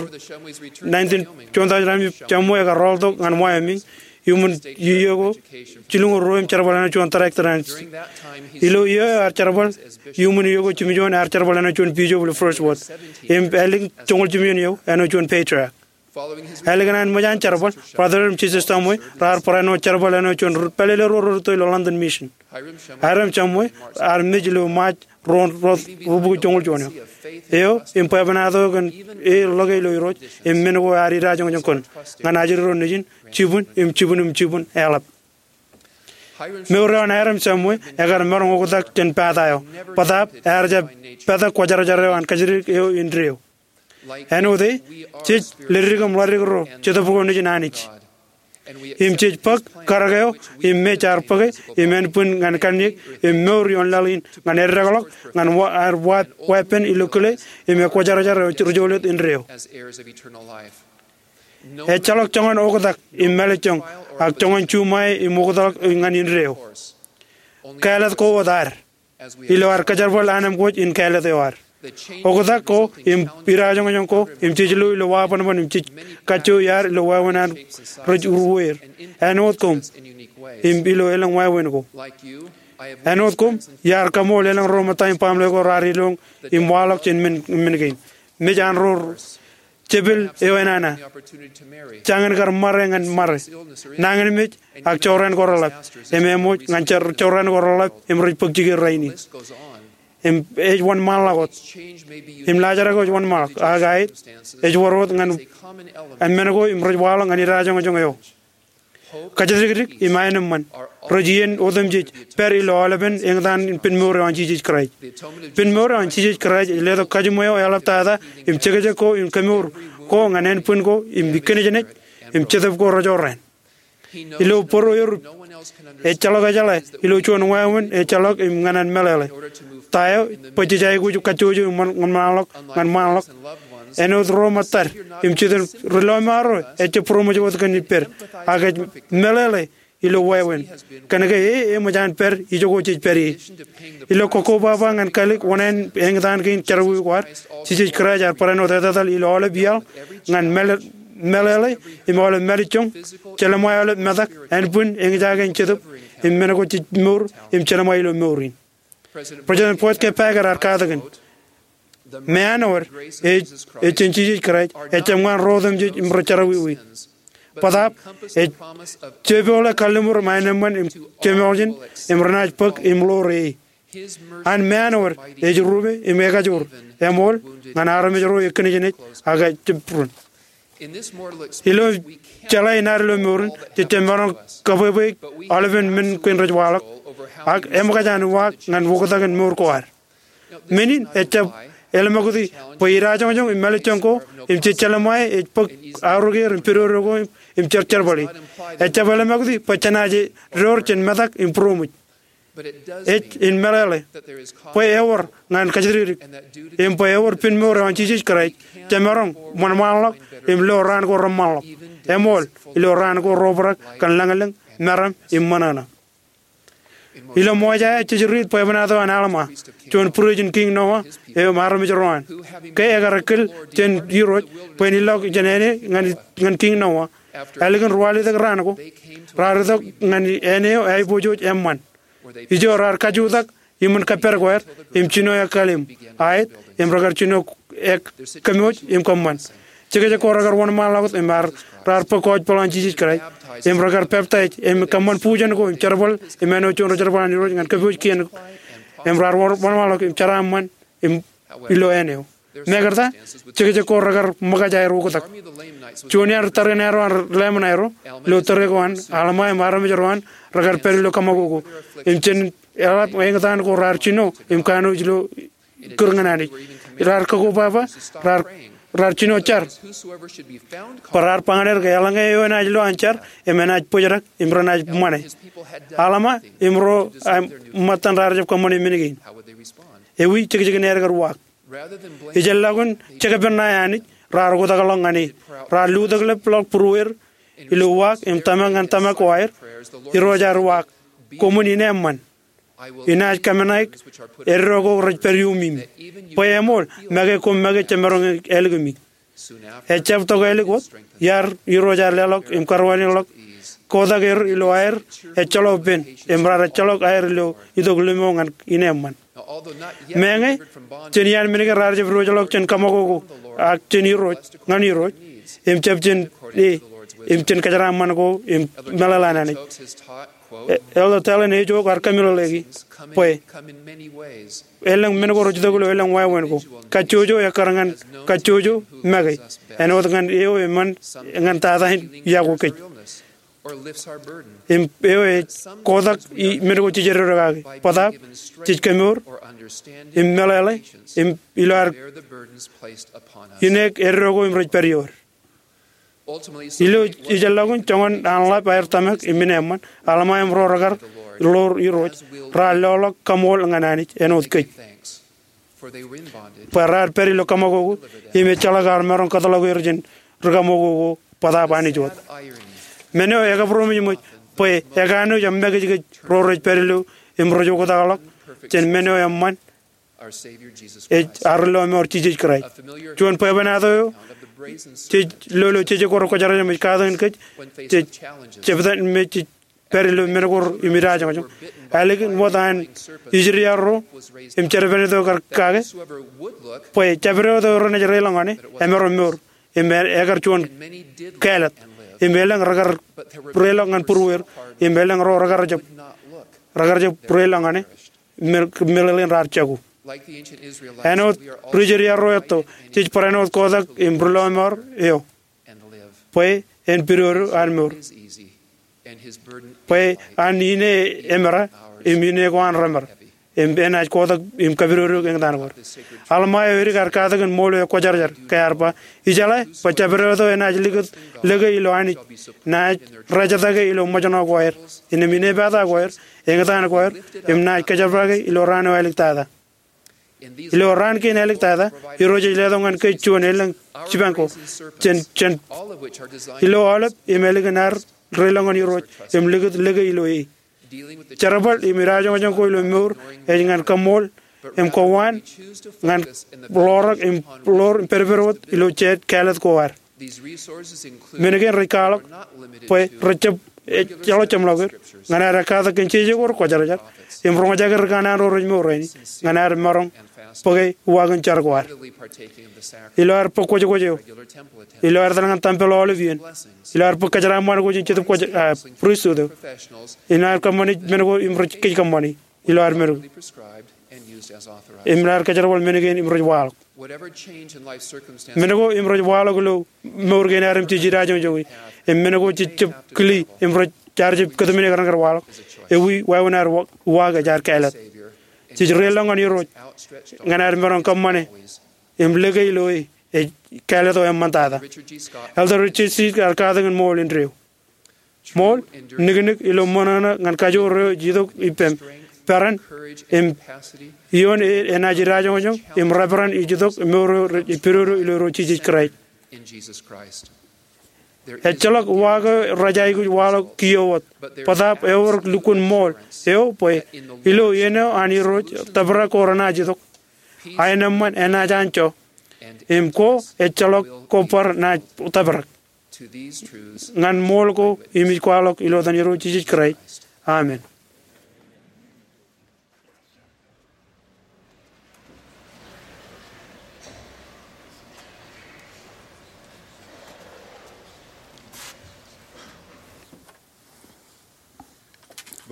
nineteen, juon taujin raṇ, Shumway ekar rọọltok ñan Wyoming iuṃwin iiō ko jilñuul ruo im jerbal āinwōt juon director an. Ilo iiō eo ear jerbal iuṃwin iiō ko jimjuon, ear jerbal āinwōt juon bishop ilo First Ward. Im ālikin joñoul jimjuon eō āinwōt juon patriarch. Ālikin an ṃōj an jerbal, Brother im Sister Shumway raar barāinwōt jerbal āinwōt juon pālele ro rūtto ilo London Mission. Hyrum Shumway ear mej ilo March ruo, ruo, ruo bukwi joñoul juon eo. Eo im bwebwenato kōn e ḷoke ilo Irooj im men ko ear idajoñjoñ kōn ñan ajri ro nejin jibwin im jibwin im jibwin eḷap. Mour eo an Hyrum Shumway ekar maroñ oktak jān pata eo. Bōtaab ear jab pād kwōjarjar eo an kajjitōk eo indeeo. Āinwōt e, jej ledik im ḷadik ro Jetōb ko nejin Anij. Im jej bōk karōk eo im mej ear bōke im ānbwin ñan kanniōk im mour ioon laḷ in ñan eddekḷọk ñan wa, ear wa, weeppān ilo kile im ekwōjarjar eo ri jolōt indeeo. Ejjeḷọk joñan oktak im mālejjoñ ak joñan juṃae im oktak ñan indeeo. Kāālōt ko wōt ad ilo ad kōjerbal anemkwōj in kāālōt eo ad. Oktak ko im idajoñjoñ ko im jej lo ilo wabanban im jej kajjojo iaad ilo wāween an rej uruweer. Āinwōt koṃ im ilo elōñ wāween ko. Āinwōt koṃ, iar kaṃool elōñ ro ṃōtta im baaṃle ko raar iloñ im waḷọk jān men, men kein. Mej an ro jepel eo enana. Jañin kar ṃare ñan ṃare. Nañinmej ak jorrāān ko reḷap. Im eṃōj ñan jor-, jorrāān ko reḷap im rej bōk jikier rainin. Im ej wōnṃaanḷọk wōt. Im laajrak eo ej wōnṃaanḷọk. Ak aet, ej wōr wōt ñan men ko im rej waḷọk ñan idajoñjoñ eo. Kajatdikdik im aenōṃṃan rej iien otemjej pād ilo aolepen eñtaan in pinmour eo an Jisōs Kraist. Pinmour eo an Jisōs Kraist ej letok kajiṃwe eo eḷaptata im jekjek ko im kemour ko ñan ānbwin ko im kijenmej im Jetōb ko rej jorrāān. Ilo bōro erup, ejjeḷọk ejeḷā ilo juon wāween ejjeḷọk im ñan an meḷeḷe. Ta eo? Bwe jej aikuj kajjojo im wōnṃaanḷọk ñan ṃaanḷọk. Āinwōt ro ṃōttad im jitōn, ri lọmọọr ro ejjab būroṃōj wōt kōn ippād, ak ej meḷeḷe ilo wāween. Kōnke e eṃōj an pād ijoko jej pād ie. Ilo kokkobaba ñan kalik oṇāān eñtaan kein jerọwiwi ko ad, Jisōs Kraist ear barāinwōt wōt etetal ilo aolep iaḷ ñan meḷeḷe im aolep mālejjoñ, jelṃae aolep metak, ānbwin, eñjake in jetōb, im men ko jej mour im jelṃae ilo mour in. President Boyd K. Packer ear katakin, meanwōd ej, ej jān Jisōs Kraist, ejjab ñan ro otemjej im rej jerọwiwi. Bōtaab, ej jepoḷe kalliṃur im aenōṃṃan im jemoḷ jān, im renaaj bōk im ḷoor e. An meanwōd ej rupe im ekajoor, eṃool, ñan armej ro ekinejenej ak ejjab būrun. Ilo jeḷā in ad ilo mour in, jej jab maroñ kōbwebweik aolepen men kein rej waḷọk, ak eṃōkaj an uwaak ñan oktak in mour ko ad. Men in ejjab eḷmokti bwe idajoñjoñ im mālejjoñ ko im jej jelṃae ej bōk aorōk er im pidodo ko im, im jerjerbale. Ejjab eḷmokti bwe jenaaj door jān metak im būroṃōj. Ej in meḷeḷe bwe ewōr ñan kajatdikdik im bwe ewōr pinmour eo an Jisōs Kraist jemaroñ ṃanṃaanḷọk im lo raan ko reṃṃanḷọk, eṃool, ilo raan ko reobrak kōn lañlōñ, meram im ṃōṇōṇō. Ilo Mosaia jej riit bwebwenato an Alma, juon būrijin Kiiñ Noa eo im armej ro an, ke ekar ekkil jān Irooj bwe en ilọk jān āne ñan, ñan Kiiñ Noa. Ālikin ruwalitōk raan ko, raar itok ñan āne eo aiboojoj eṃṃan. Ijo raar kajutak iṃōn kōppād ko ad im jino ekkalem aet im rekar jino ekkemooj im kōṃṃan. Jekjek ko rekar wōnṃaanḷọk wōt im raar bōk gospel an Jisōs Kraist im rekar peptaij im kōṃṃan bujen ko im jerbal im āinwōt juon ri jerbal an Irooj ñan kōpooj kien im raar wōnṃaanḷọk im jeraaṃṃan im ilo āne eo. Mekarta, jekjek ko rekar ṃōkaj aer oktak. Juon iaan tariṇae ro an Laman eo, ilo tōre ko an, Alma im armej ro an rekar pād ilo kaṃakoko im jān eḷap eñtaan ko raar jino im kanooj ilo kūr ñan Anij. Raar kōkobaba, raar, raar jino jar bwe raar ba ñan er ke eḷaññe eo enaaj lo an jar im enaaj bōjrak im renaaj ṃane. Alma im ro, im, ṃōttan raar jab kōṃṃane men kein. Ewi jekjekin aer kar uwaak? Ijellọkin jekpen ṇae Anij, raar oktakḷọk ñan e. Raar lutōkḷọk būrueer ilo uwaak im tōmak ñan tōmak ko aer. Irooj ear uwaak, koṃwin ineeṃṃan. Inaaj kōmenaik eddo ko rej pād iuṃwin, bwe eṃool make koṃ make jemaroñ ālikimi. Ejjab tok ālik wōt, iar, Irooj ear leḷọk im karwainekḷọk kotak er ilo aer ejjeḷọk pen im raar ejjeḷọk aer ilo itok limo ñan ineeṃṃan. Meñe jān iaan men kein raar jab diwōjḷọk jān kaṃakoko ak jān Irooj, ñan Irooj, im jab jān e, im jān kōjeraaṃṃan ko im meḷeḷe an Anij. E, Elder Dallin H. Oaks ear kōmeḷeḷeiki bwe elōñ men ko rej itok ilo elōñ wāween ko. Kajjojo ekkar ñan kajjojo make, āinwōt ñan eo eṃṃan ñan tata in iọkwe kōj. Im eo ej kotak men ko jej eddo kaki. Bōtaab, jej kemour im meḷeḷe im ilo ad ineek eddo ko im rej pād ioer. Ilo ijellọkin joñan an ḷap aer tōmak im ineeṃṃan, Alma im ro rekar ḷoor Irooj raar loḷọk kaṃool ñan Anij āinwōt kōj, bwe raar pād ilo kaṃakoko im ejjeḷọk aō maroñ kōtḷọk er jān ri kaṃakoko bōtaab Anij wōt. Men eo ekabūroṃōjṃōj bwe ekanooj im make kōj ro rej pād ilo im rej oktakḷọk jān men eo eṃṃan ej ar lọmọọr Jisōs Kraist. Juon bwebwenato eo jej lo ilo jejek ko rekwōjarjar im ej katakin kōj, jej jeptan im jej pād ilo men ko im idajoñjoñ. Ālikin wōt an ijid iar ro im jerbal eo kar kake, bwe jabdewōt eo renaaj reiḷọk ñan e emaroñ mour, im e, ekar juon kāālōt, im elōñ rekar reiḷọk ñan būrueer, im elōñ ro rekar jab, rekar jab reiḷọk ñan e, meḷeḷein raar jako. Āinwōt ri Israel ro etto, jej barāinwōt kotak im ri lọmọọr eo bwe en pidodo an mour. Bwe an ine emera im ine ko an remera, im enaaj kotak im kapidodo ke eñtaan ko aer. Alma eo edik ear katakin ṃool eo ekwōjarjar ke ear ba, ijeḷā bwe jabdewōt eo enaaj likūt lōke ilo Anij naaj rejatake ilo ṃōjṇọ ko aer, innām inepata ko aer, eñtaan ko aer, im naaj kōjepḷaake ilo raan eo āliktata. Ilo raan kein āliktata, Irooj ej letok ñan kōj juon elōñ jipañ ko jān, jān ilo aolep im ālikin ad reilọk ñan Irooj im likūt lōke ilo e. Jerbal im idajoñjoñ ko ilo mour ej ñan kaṃṃool im kowaan ñan ḷoorōk im ḷoor im pedped wōt ilo jeid kāālōt ko ad. Men kein rej kwaḷọk bwe rej jab, ejjeḷọk jeṃḷọkin ñan ad katak kōn jeje ko rekwōjarjar im roñjake ri kanaan ro rej mour rainin ñan ad maroñ bōke uwaak in jar ko ad. Ilo ad bōk kwōjkwōj eo, ilo ad etal ñan tempel aolep iien, ilo ad bōk kōjeraaṃṃan ko jān Jetōb Kwōjarjar, ah, pristut eo, ilo ad kōṃṃani men ko im rej kōj kōṃṃani ilo ad men ko, im ad kōjerbal men kein im rej waḷọk men ko im rej waḷọk ilo mour kein ad im jej idajoñjoñi, im men ko jej jab kile im rej, jaar jab kōtmāne kōrā kar waḷọk. Ewi wāween ad wa-, uwaak ej ad kāālōt. Jej reilọk ñan Irooj ñan ad maroñ kōṃṃane im lōke ilo e, ej kāālōt eo eṃṃantata. Elder Richard G. Scott ear katakin ṃool indeeo. Ṃool niknik ilo ṃōṇōṇō ñan kajoor eo ej itok ippem, peran, im ioon e enaaj idajoñjoñ im reperan ej itok mour eo rej pedodo ilo Irooj Jisōs Kraist. Ejjeḷọk uwaak eo rej aikuj waḷọk kiiō wōt, bōtaab eor lukkuun ṃool eo bwe ilo iien eo an Irooj tōprak ko renaaj itok, aenōṃṃan enaaj anjọ, im ko ejjeḷọk ko bar naaj tōprak. Ñan ṃool ko im ij kwaḷọk ilo etan Irooj Jisōs Kraist. Amen.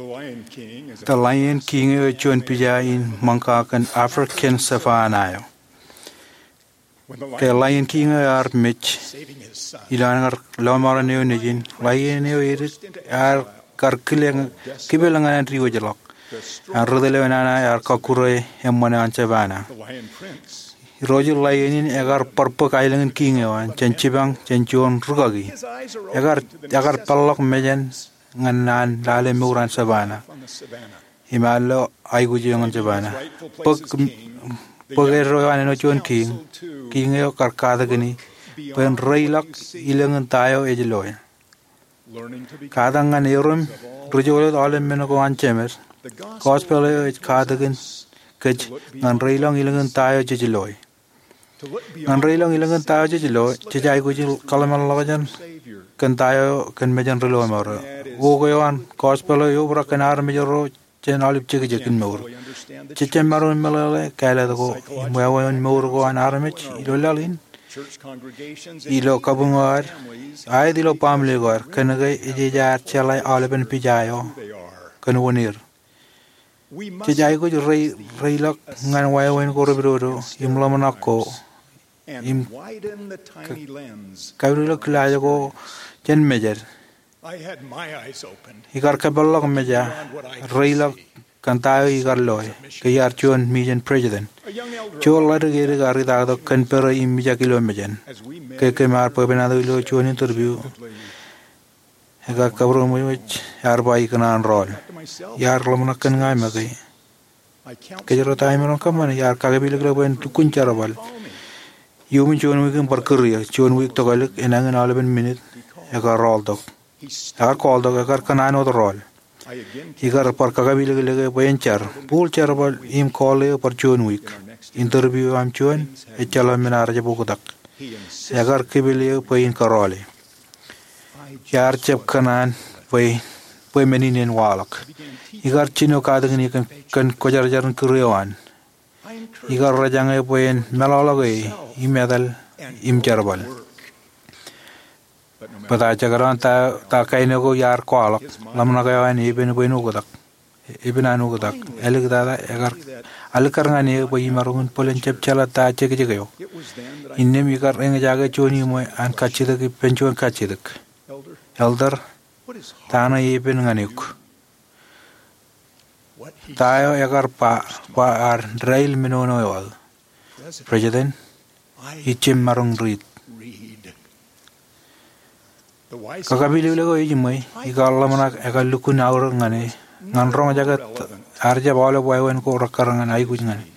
The Lion King eo ej juon pija in ṃōñā kōn African savannah eo. Ke Lion King eo ear mej, ilo an kar lọmọọren eo nejin, Lion eo edik ear kar kile, kipel ñan an diwōjḷọk. An ri tōl eo enana ear kọkkure eṃṃan eo an savannah. Irooj in Lion in ekar bar bōk aelōñ in King eo an jān jipañ jān juon rūkaki. Ekar, ekar peḷḷọk mejān ñan an lale mour an savannah im al ilo aikuj eo ñan savannah. Bōk, bōk eddo eo an āinwōt juon king, King eo kar katakin e bwe en reilọk ilōñ in ta eo ej loe. Katakin erom ri-joḷọk aolep men ko an jemed, gospel eo ej katakin kōj ñan reilọk ilōñ in ta eo jej loe. Ñan reilọk ilōñ in ta eo jej loe, jej aikuj in kōḷmānḷọkjeṇ kōn ta eo kōn mejān ri-lọmọọr eo. Wōk eo an gospel eo eobrak kōn armej ro jān aolep jekjek in mour. Jej jab maroñ in meḷeḷe kāālōt ko im wāween mour ko an armej ilo laḷ in, ilo kabuñ eo ad, aet ilo baaṃle ko ad, kōnke ej, ej ad jeḷā aolepen pija eo kōn wōn er. Jej aikuj rei, reilọk ñan wāween ko repedodo im ḷōmṇak ko im ka-, kapidodo kilaaj ko jān mejed. Ikar kōpeḷḷọk meja, reilọk kōn ta eo ikar loe, ke iar juon mejān president. Juon ḷadik edik ear itaktok kōn pere im ijek ilo mejān. Ke kōm ar bwebwenato ilo juon interview, ekar kabūroṃōj ear ba ikōṇaan rọọl. Iar ḷōmṇak kōn ña make. Kōjro ta imaroñ kōṃṃane, iar kakipilōklōk bwe en lukkuun jerbal. Iuṃwin juon wiik im bar kūr eō, juon wiik tokālik, enañin aolepen minit, ekar rọọltok. Ekar kọọltok, ekar kōṇaan wōt rọọl. Ikar bar kakipilōklōk e bwe en jar. Bōk jerbal im kọọl eō bar juon wiik. Interview eo aṃ juon, ejjeḷọk men ear jab oktak. Ekar kipel eō bwe in kōrọọle. Iar jab kōṇaan bwe, bwe men in en waḷọk. Ikar jino katakin e kōn, kōn kwōjarjar in kūr eo an. Ikar rejañe bwe en meḷọkḷọk e im etal im jerbal. Bōtab jekdọọn ta, ta kain eo ko iar kwaḷọk, ḷōmṇak eo an epen bwe en oktak. Epen an oktak. Āliktata, ekar alikkar ñan e bwe imaroñ in bōlen jab jeḷā ta jekjek eo. Innām ikar eñjake juon iṃwe an kajjitōk ippān juon kajjitōk. Elder, Ta ṇe epen ñan eok? Ta eo ekar ba, ba ad dāil menono eo aō? President, ij jab maroñ riit. Kakapilōk eo ejiṃwe, ikar ḷōmṇak ekar lukkuun aorōk ñan e, ñan roñjake ad jab aolep wāween ko rekkar ñan aikuj ñan e.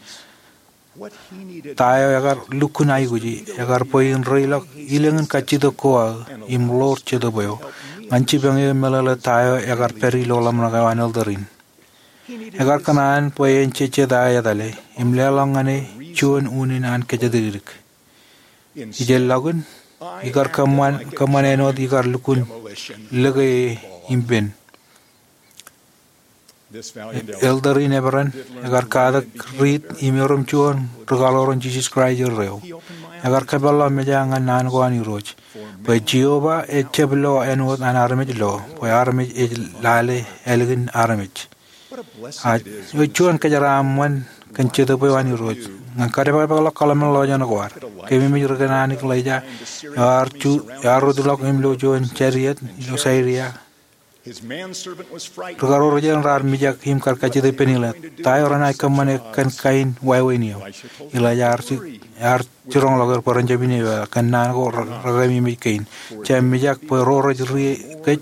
Ta eo ekar lukkuun aikuji, ekar bwe in reiḷọk ilōñin kajjitōk ko aō, im ḷoor jetōb eo, ñan jipañ e meḷeḷe ta eo ekar pād ilo ḷōmṇak eo an elder in. Ekar kōṇaan bwe en jejjet aō etale, im leḷọk ñan e juon unin an kōjatdikdik. Ijellọkin, ikar kōṃṃan, kōṃṃan āinwōt ikar lukkuun lōke e im pen. Elder in eperan, ekar katak riit im erom juon ri kaḷoor in Jisōs Kraist erreo. Ekar kōpeḷḷọk meja ñan naan ko an Irooj, bwe Jeova ejab lo āinwōt an armej lo, bwe armej ej lale ālikin armej. Ak eo juon kōjeraaṃṃan kōn Jetōb eo an Irooj, ñan kadepedepeḷọk kōḷmānḷọkjeṇ ko ad. Keememej ri kōṇaan Elaija, ear ju, ear rūtḷọk im lo juon chariot ilo Siria. Ri karuo ro jen raar mijak im kar kajjitōk ippān Elaija. Ta eo renaaj kōṃṃane kōn kain wāween eo? Elaija ear ji, ear jiroñḷọk er bwe ren jab inepata kōn naan ko re, rekeememej kein. Jab mijak bwe ro rej ri kōj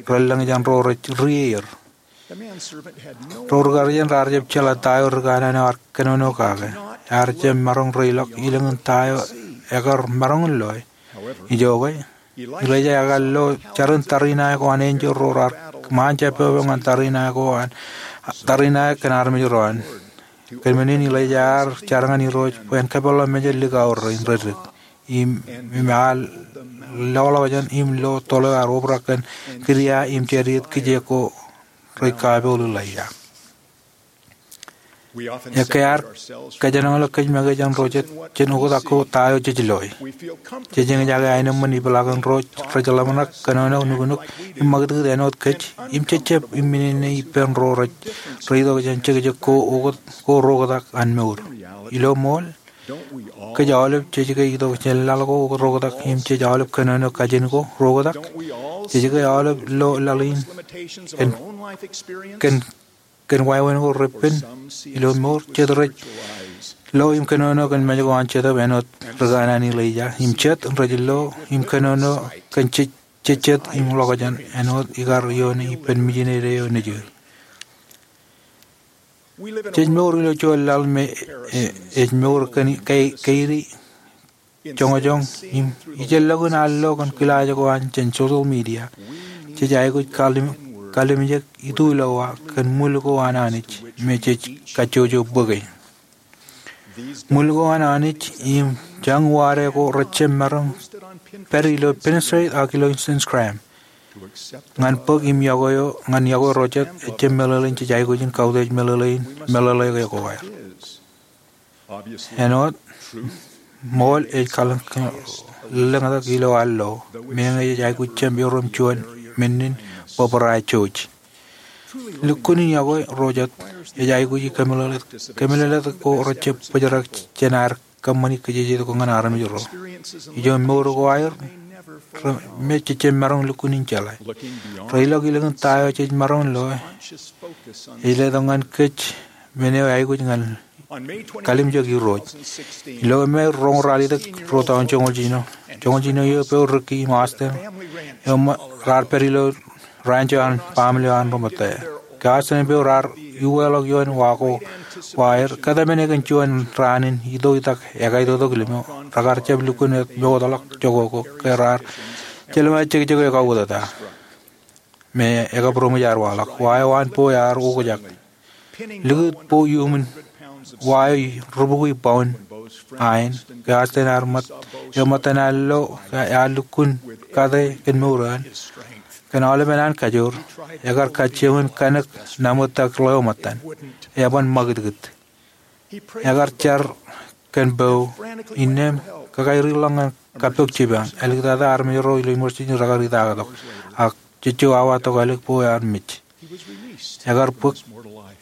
relōñ jān ro rej ri er. Ro ri karuo jen raar jab jeḷā ta eo ri kanaan eo ar kōnono kake. Ear jab maroñ reiḷọk ilōñin ta eo ekar maroñ in loe. Ijoke, Elaija ekar lo jarin tariṇae ko an enjeḷ ro raar ṃaan jab pepe ñan tariṇae ko an, tariṇae kōn armej ro an. Kōn men in Elaija ear jar ñan Irooj bwe en kōpeḷḷọk meja likao rein reddik. Im, im ear loḷọk jān im lo toḷ eo ear obrak kōn kidia im chariot kijeek ko rej kapool Elaija. Ekkā ear kōjenolọk kōj make jān ro jet, jān oktak ko ta eo jej loe. Jej eñjake aenōṃṃan ipḷaak in ro rej ḷōmṇak, kōnono, nuknuk, im ṃakūtkūt āinwōt kōj, im jejjab im minene ippān ro rej, rej itok jān jekjek ko oktak, ko ro oktak an mour. Ilo ṃool, kōj aolep jej ke itok jān laḷ ko oktak ro oktak im jej aolep kōnono kajin ko ro oktak. Jej ke aolep lo laḷ in kōn, kōn, kōn wāween ko repen ilo mour. Jet rej lo im kōnono kōn mej ko an Jetōb āinwōt ri kanaan Elaija. Im jet rej lo im kōnono kōn jej, jejjet im ḷokjān āinwōt ikar ioone ippān mijinede eo nejū. Jej mour ilo juon laḷ me, e, ej mour kōn, ke, keidi, joñjoñ, im ijellọkin al lo kōn kilaaj ko an jān social media. Jej aikuj kallim, kallimjek itulowa kōn ṃwil ko an Anij me jej kajjojo bōke. Ṃwil ko an Anij im jañuwaade ko rej jab maroñ pād ilo Pinterest ak ilo Instagram. Ñan bōk im yokwe eo, ñan yokwe ro jet ejjab meḷeḷein jej aikuj in kautiej meḷeḷein, meḷeḷe ko aer. Āinwōt, ṃool ej kalōñ, lōñtak ilo al lo, meñe ej aikuj jab erom juon men in bōbrae jouj. Lukkuun in yokwe ro jet ej aikuji kōmeḷeḷe, kōmeḷeḷe ko rej jab bōjrak jān aer kōṃṃani kōjejjet ko ñan armej ro. Ijo mour ko aer, re, me jej jab maroñ lukkuun in jeḷā. Reiḷọk ilōñin ta eo jej maroñ loe, ej letok ñan kōj men eo aikuj ñan kallimjek Irooj. Ilo Mej roñoul ralitōk, ruo tọujin joñoul jiljino, joñoul jiljino eō, bwe Ricky im Austin eō ṃō, raar pād ilo ranch eo an baaṃle eo an ri ṃōtta. Ke Austin im Beau raar uweḷọk ioon wa ko, wa er, kōtmāne kōn juon raan in itoitak ekaitoktok limo, rekar jab lukkuun ṃootḷọk jokwe ko ke raar jelṃae jekjek eo kauwōtata me ekabūroṃōj ear waḷọk. Wa eo an bwe ear okjak. Likūt bwe iuṃwin wa eo rubukwi pound aen, ke Austin ear ṃōt, eō ṃōttan al lo, ke ear lukkuun kate kōn mour eo an. Kōn aolepen an kajoor, ekar kajjioñ in kanōk naṃōttak ḷeo ṃōttan. Eban ṃakūtkūt. Ekar jar kōn Beau, innām, kakairilọk ñan kappok jipañ, āliktata armej ro ilo emergency rekar itaaktok, ak jejjo awa tokālik bwe ear mej. Ekar bōk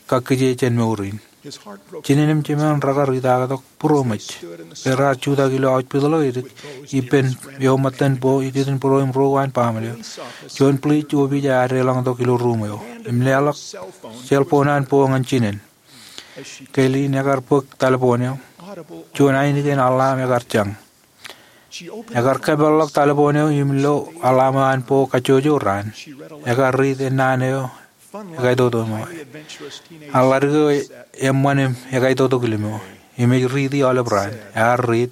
kakkije jān mour in. Jinen im jemān rekar itaaktok būroṃōj. Ke raar jutak ilo auj pitḷọk edik ippān eo ṃōttan bō ikijjien būro im ruo an baaṃle eo, juon puliij opiij ear deḷọñtok ilo ruuṃ eo im leḷọk cell phone an bō ñan jinen. Ke Lynn ekar bōk telephone eo, juon ainikien alarm ekar jañ. Ekar kōpeḷḷọk telephone eo im lo alarm eo an bō kajjojo raan. Ekar riit ennaan eo ekaitoktok ṃōk. Eḷadik eo eṃṃan im ekaitoktok limo im ej riiti aolep raan. Ear riit,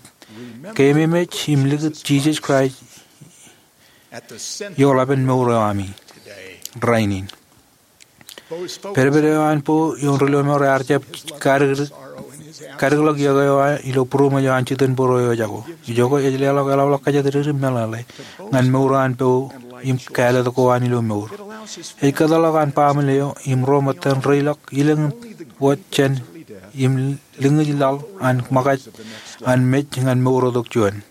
"Keememej im likūt Jisōs Kraist ioḷapen mour eo ami rainin." Pedped eo an bō ioon ri-lọmọọr ear jab kadikḷọk iọkwe eo ilo būroṃōj eo an jitōnbōro eo ejako. Ijoko ej leḷọk eḷapḷọk kōjatdikdik im meḷeḷe ñan mour eo an bō im kāālōt ko an ilo mour. Ej kōtḷọk an baaṃle eo im ro ṃōttan reilọk ilōñ in wōt jān im liñij laḷ an ṃōkaj an mej ñan mour eo tok juon.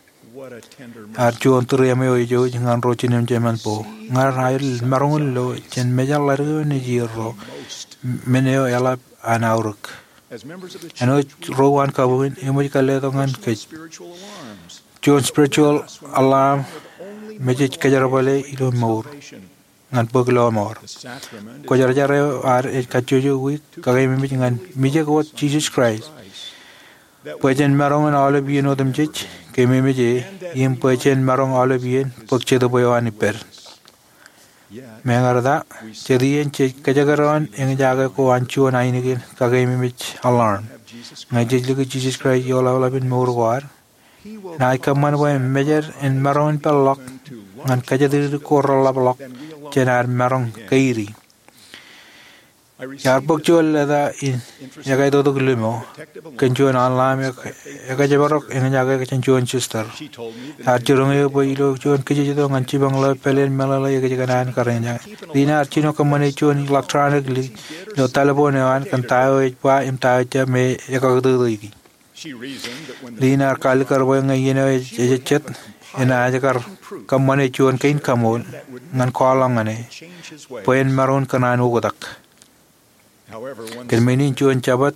Ear juon tūriaṃo eo ej jouj ñan ro jinen im jemān bō. Ñan aer maroñ in lo jān mejān ḷadik eo nejierro, men eo eḷap an aorōk. Āinwōt ro an kabuñ in, eṃōj kōlletok ñan kōj. Juon spiritual alarm me jej kōjerbale ilo mour ñan bōk lọmọọr. Kwōjarjar eo ad ej kajjojo wiik kakeememej ñan mijek wōt Jisōs Kraist bwe jen maroñ in aolep iien otemjej, keememej e, im bwe jen maroñ aolep iien bōk Jetōb eo an ippād. Meñe rej ta, jet iien jej kōjekdọọn eñjake ko an juon ainikien kakeememej alarm. Ñe jej likūt Jisōs Kraist ioḷaḷapen mour ko ad, enaaj kōṃṃan bwe mejād en maroñ in peḷḷọk ñan kōjatdikdik ko reḷapḷọk jān ad maroñ keidi. Iar bōk juon leta in ekaitoktok limo kōn juon alarm ekajeparok eñjake jān juon sister. Ear jiroñ eō bwe ilo juon kijejeto ñan jipañ ḷeo pāleen meḷeḷe ekōjkan an kar eñjake. Lynn ear jino kōṃṃane juon electronic lid ilo telephone eo an kōn ta eo ej ba im ta eo ejjab me ekakūtōtōiki. Lynn ear kaalikkar bwe ñe iien eo ejejjet, enaaj kar kōṃṃane juon kein kaṃool ñan kwaḷọk ñan e bwe en maroñ in kōṇaan oktak. Kōn men in juon Jabōt,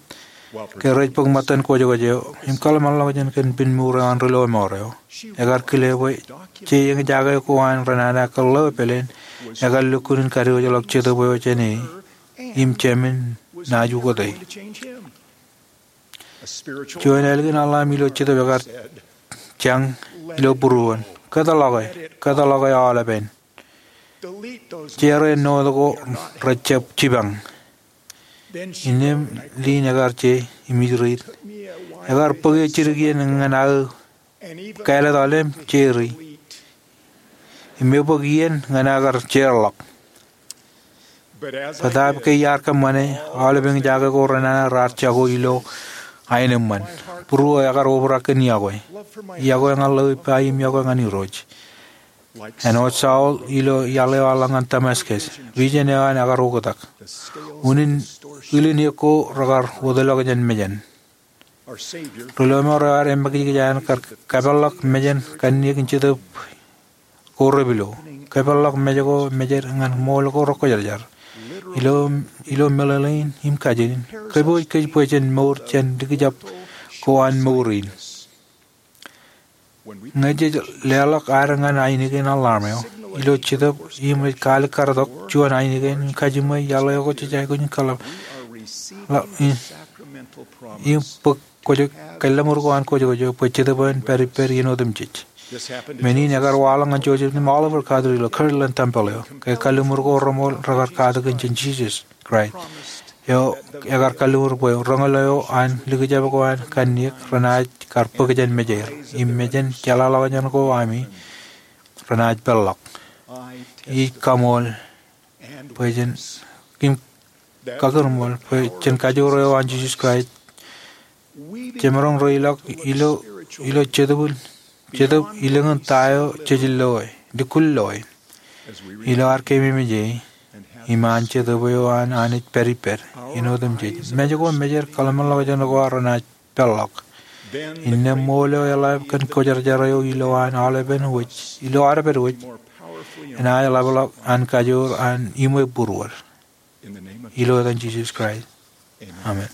ke rej bōk ṃōttan kwōjkwōj eo im kōḷmānḷọkjeṇ kōn pen mour eo an ri-lọmọọr eo, ekar kile bwe je eñjake ko an renana kōn ḷeo pāleen ekar lukkuun in kadiwōjḷọk Jetōb eo jān e im jāmin naaj ukōte. Juon ālikin alarm ilo Jetōb ekar jañ ilo būruon. Kōtḷọke, kōtḷọke aolepen. Jere note ko rejjab jipañ. Innām Lynn ekar je im ij riit. Ekar bōk eō jidik iien ñan aō kāālōt aolep jeri im ebōk iien ñan aō kar jeorḷọk. Bōtaab ke iar kōṃṃane, aolep eñjake ko renana raar jako ilo aenōṃṃan. Būruō ekar obrak kōn iọkwe. Iọkwe ñan ḷeo ippa im iọkwe ñan Irooj. Āinwōt Saul ilo iaḷ eo eḷap ñan Damascus, vision eo an ekar oktak. Unin, ilin eok ko rekar wōtlọk jān mejān. Ri-lọmọọr eo ad emmekjekj an kar kōpeḷḷọk mejān kanniōk in Jetōb ko repilo. Kōpeḷḷọk mej ko mejād ñan ṃool ko rekwōjarjar. Ilo, ilo meḷeḷein im kajin in, kōpooj kōj bwe jen mour jān likjab ko an mour in. Ñe jej leḷọk ad ñan ainikien alarm eo ilo Jetōb im ej kaalikkar tok juon ainikien kajiṃwe iaḷ eo ko jej aikuj in kōḷḷap, im bōk kwōj, kalliṃur ko an kwōjkwōj eo bwe Jetōb en pād ippād iien otemjej. Men in ekar waḷọk ñan Joseph Smith im Oliver Cowdery ilo Kirtland Tempel eo. Ke kalliṃur ko reṃool rekar katakin jān Jisōs Kraist eo ekar kalliṃur bwe roñoul eo an likjab ko an kanniōk renaaj kar bōk jān mejeir im mejān jeḷāḷọkjeṇ ko ami renaaj peḷḷọk. Ij kaṃool bwe jen, im kakūrṃool bwe jān kajoor eo an Jisōs Kraist, jemaroñ reilọk ilo, ilo Jetōb, Jetōb ilōñ in ta eo jej loe, lukkuun loe. Ilo ad keememej e, im an Jetōb eo an Anij pād ippād iien otemjej, mej ko mejād kōḷmānḷọkjeṇ ko ad renaaj peḷḷọk. Innām ṃool eo eḷap kōn kwōjarjar eo ilo an aolepen wōj, ilo aolepād wōj, enaaj ḷapḷọk an kajoor an iṃwe būruod. Ilo etan Jisōs Kraist. Amen.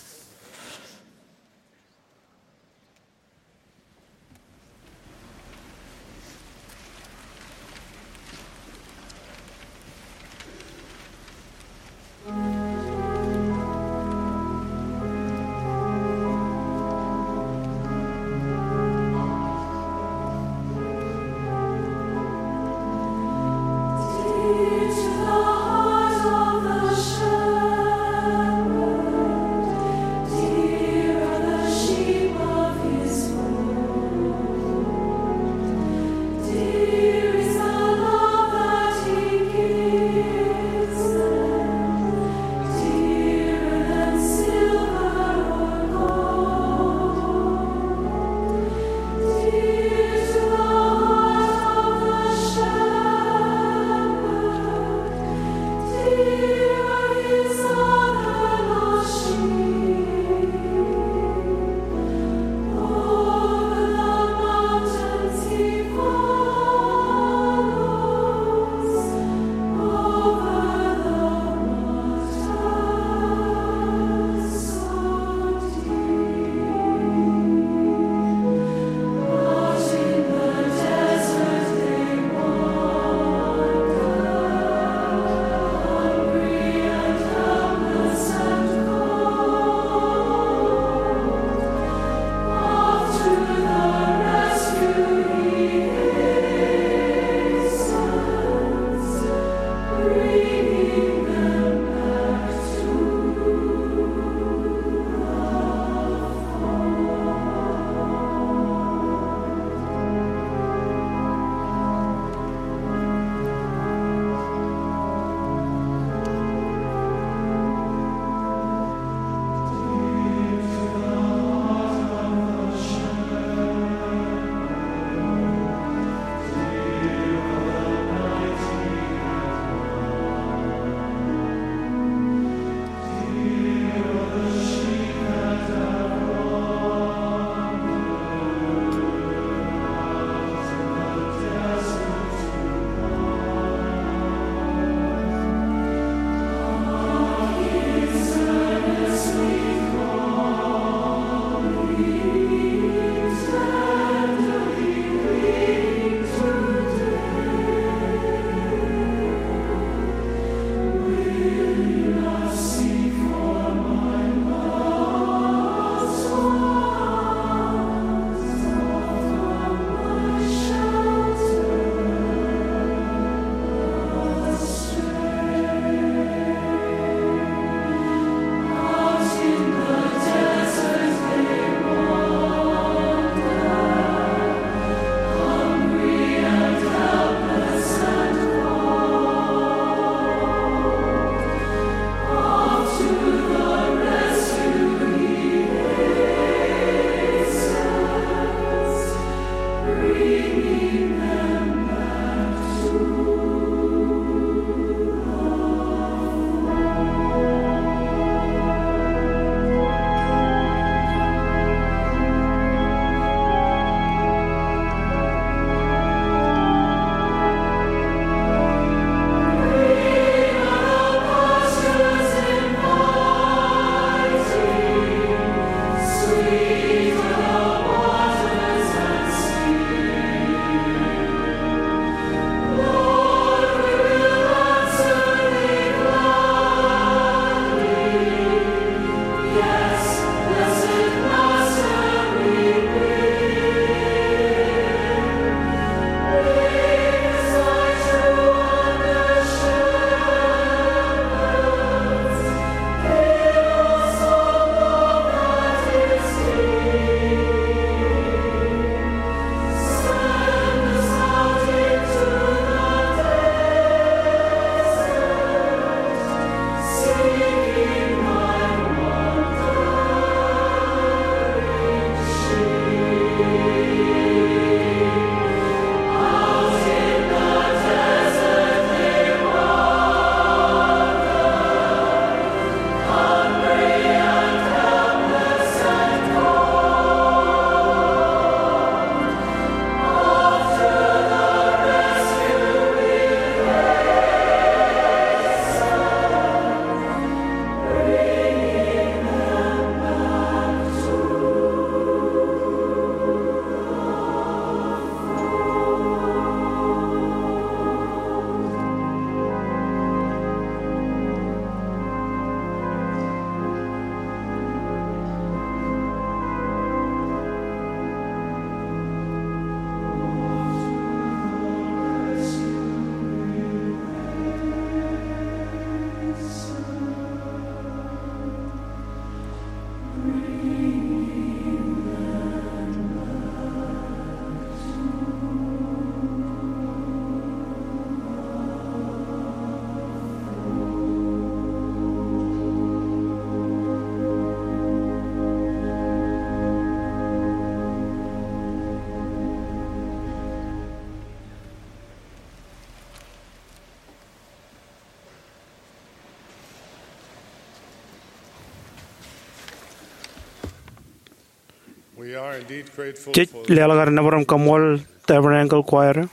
Jej leḷọk ad nōbar im kaṃṃoolol Tabernacle Choir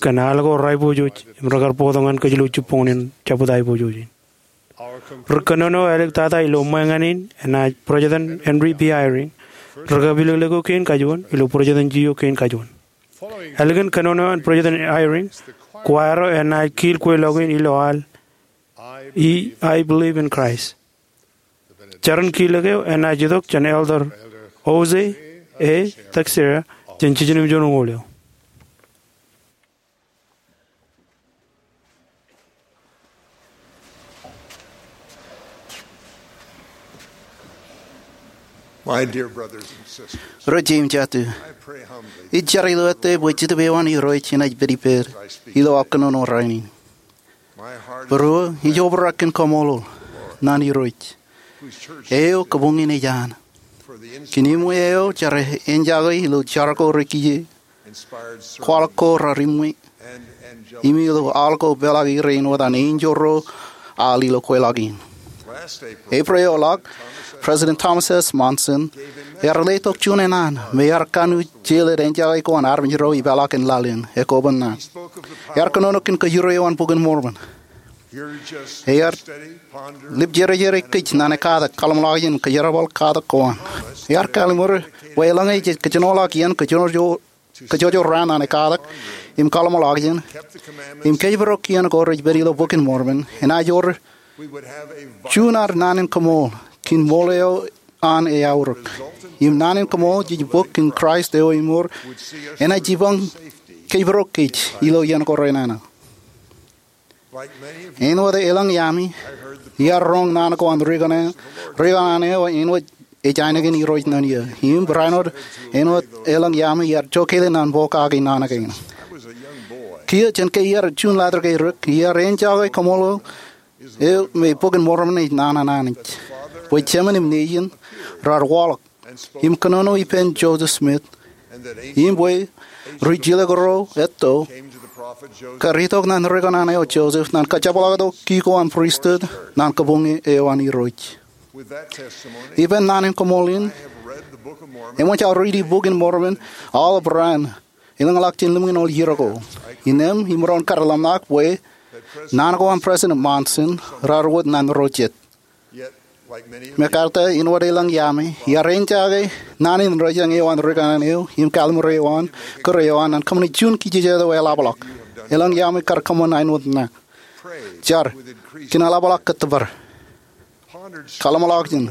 kōn al ko reaiboojoj im rekar bōktok ñan kōj ilo jibboñōn in jabdewōt aiboojoj in. Ri kōnono āliktata ilo ṃweo ñan in enaaj President Henry B. Eyring, ri kapilōklōk eo kein kajuon ilo presidency eo kein kajuon. Ālikin kōnono an President Eyring, choir eo enaaj kiil kweilọk in ilo al I Believe in Christ. Jar in kiilōk eo enaaj itok jān Elder Jose A. Teixeira jān jiljino im juon uñool eo. Ri jet im jatū, ij jar ilo ettā bwe Jetōb eo an Irooj enaaj pād ippād ilo aō kōnono rainin. Būruō ij obrak kōn kaṃṃoolol ñan Irooj eo kōbuñ in ej an kōn iṃwe eo jar eo ejjake ilo jar ko rekiiō, kwaḷọk ko raar iṃwe, im ilo al ko peḷḷọk er āinwōt an enjeḷ ro al ilo kweilọk in. April eo ḷọk, President Thomas S. Monson ear letok juon enaan me ear kanooj jelōt ejjake ko an armej ro ipeḷḷọk in laḷ in ekoban naan. Ear kōnono kōn kōjro eo an Bok in Mormon. Ear lipjerjere kōj naan ekatak, kaḷṃōḷaak jān kōjerbal katak ko an. Ear kallimur bwe eḷaññe jej kōjenolọk iien kōjojoraan naan ekatak im kaḷṃōḷaak jān im kōjparok kien ko rej pād ilo Bok in Mormon, enaaj wōr juon ad naan in kaṃool kōn ṃool eo an eaorōk. Im naan in kaṃool jej bōk kōn Kraist eo emour enaaj jipañ kōjparok kōj ilo iien ko renana. Āinwōt elōñ iaami, iar roñ naan ko an ri kōṇaan eo āinwōt ej ainikien Irooj ṇe eō. Im barāinwōt āinwōt elōñ iaami iar jokele naan pokake naan kein. Kiiō jān ke iar juon ḷadik eo rūk, iar ejjake kaṃṃoolol eo me Bok in Mormon ej naan an Anij, bwe Jemān im Nejin raar waḷọk im kōnono ippān Joseph Smith, im bwe ri jilkinḷọk ro etto kar itok ñan ri kōṇaan eo Joseph ñan kajepḷaaktok ki ko an pristut ñan kabuñ eo an Irooj. Ippān naan in kaṃool in, eṃōj aō riiti Bok in Mormon aolep raan elōñḷọk jān limōñoul iiō ko. Innām imaroñ kar ḷōmṇak bwe naan ko an President Monson raar wōt ñan ro jet. Mekarta, āinwōt elōñ iaami, iar ejjake naan in ri jeṇ eo an ri kōṇaan eo im kalliṃur eo an kūr eo an ñan kōṃṃane juon kijejet eo eḷapḷọk. Elōñ iaami kar kōṃṃan āinwōt ṇa. Jar kōn eḷapḷọk kōttōpar. Kaḷṃōḷaak jān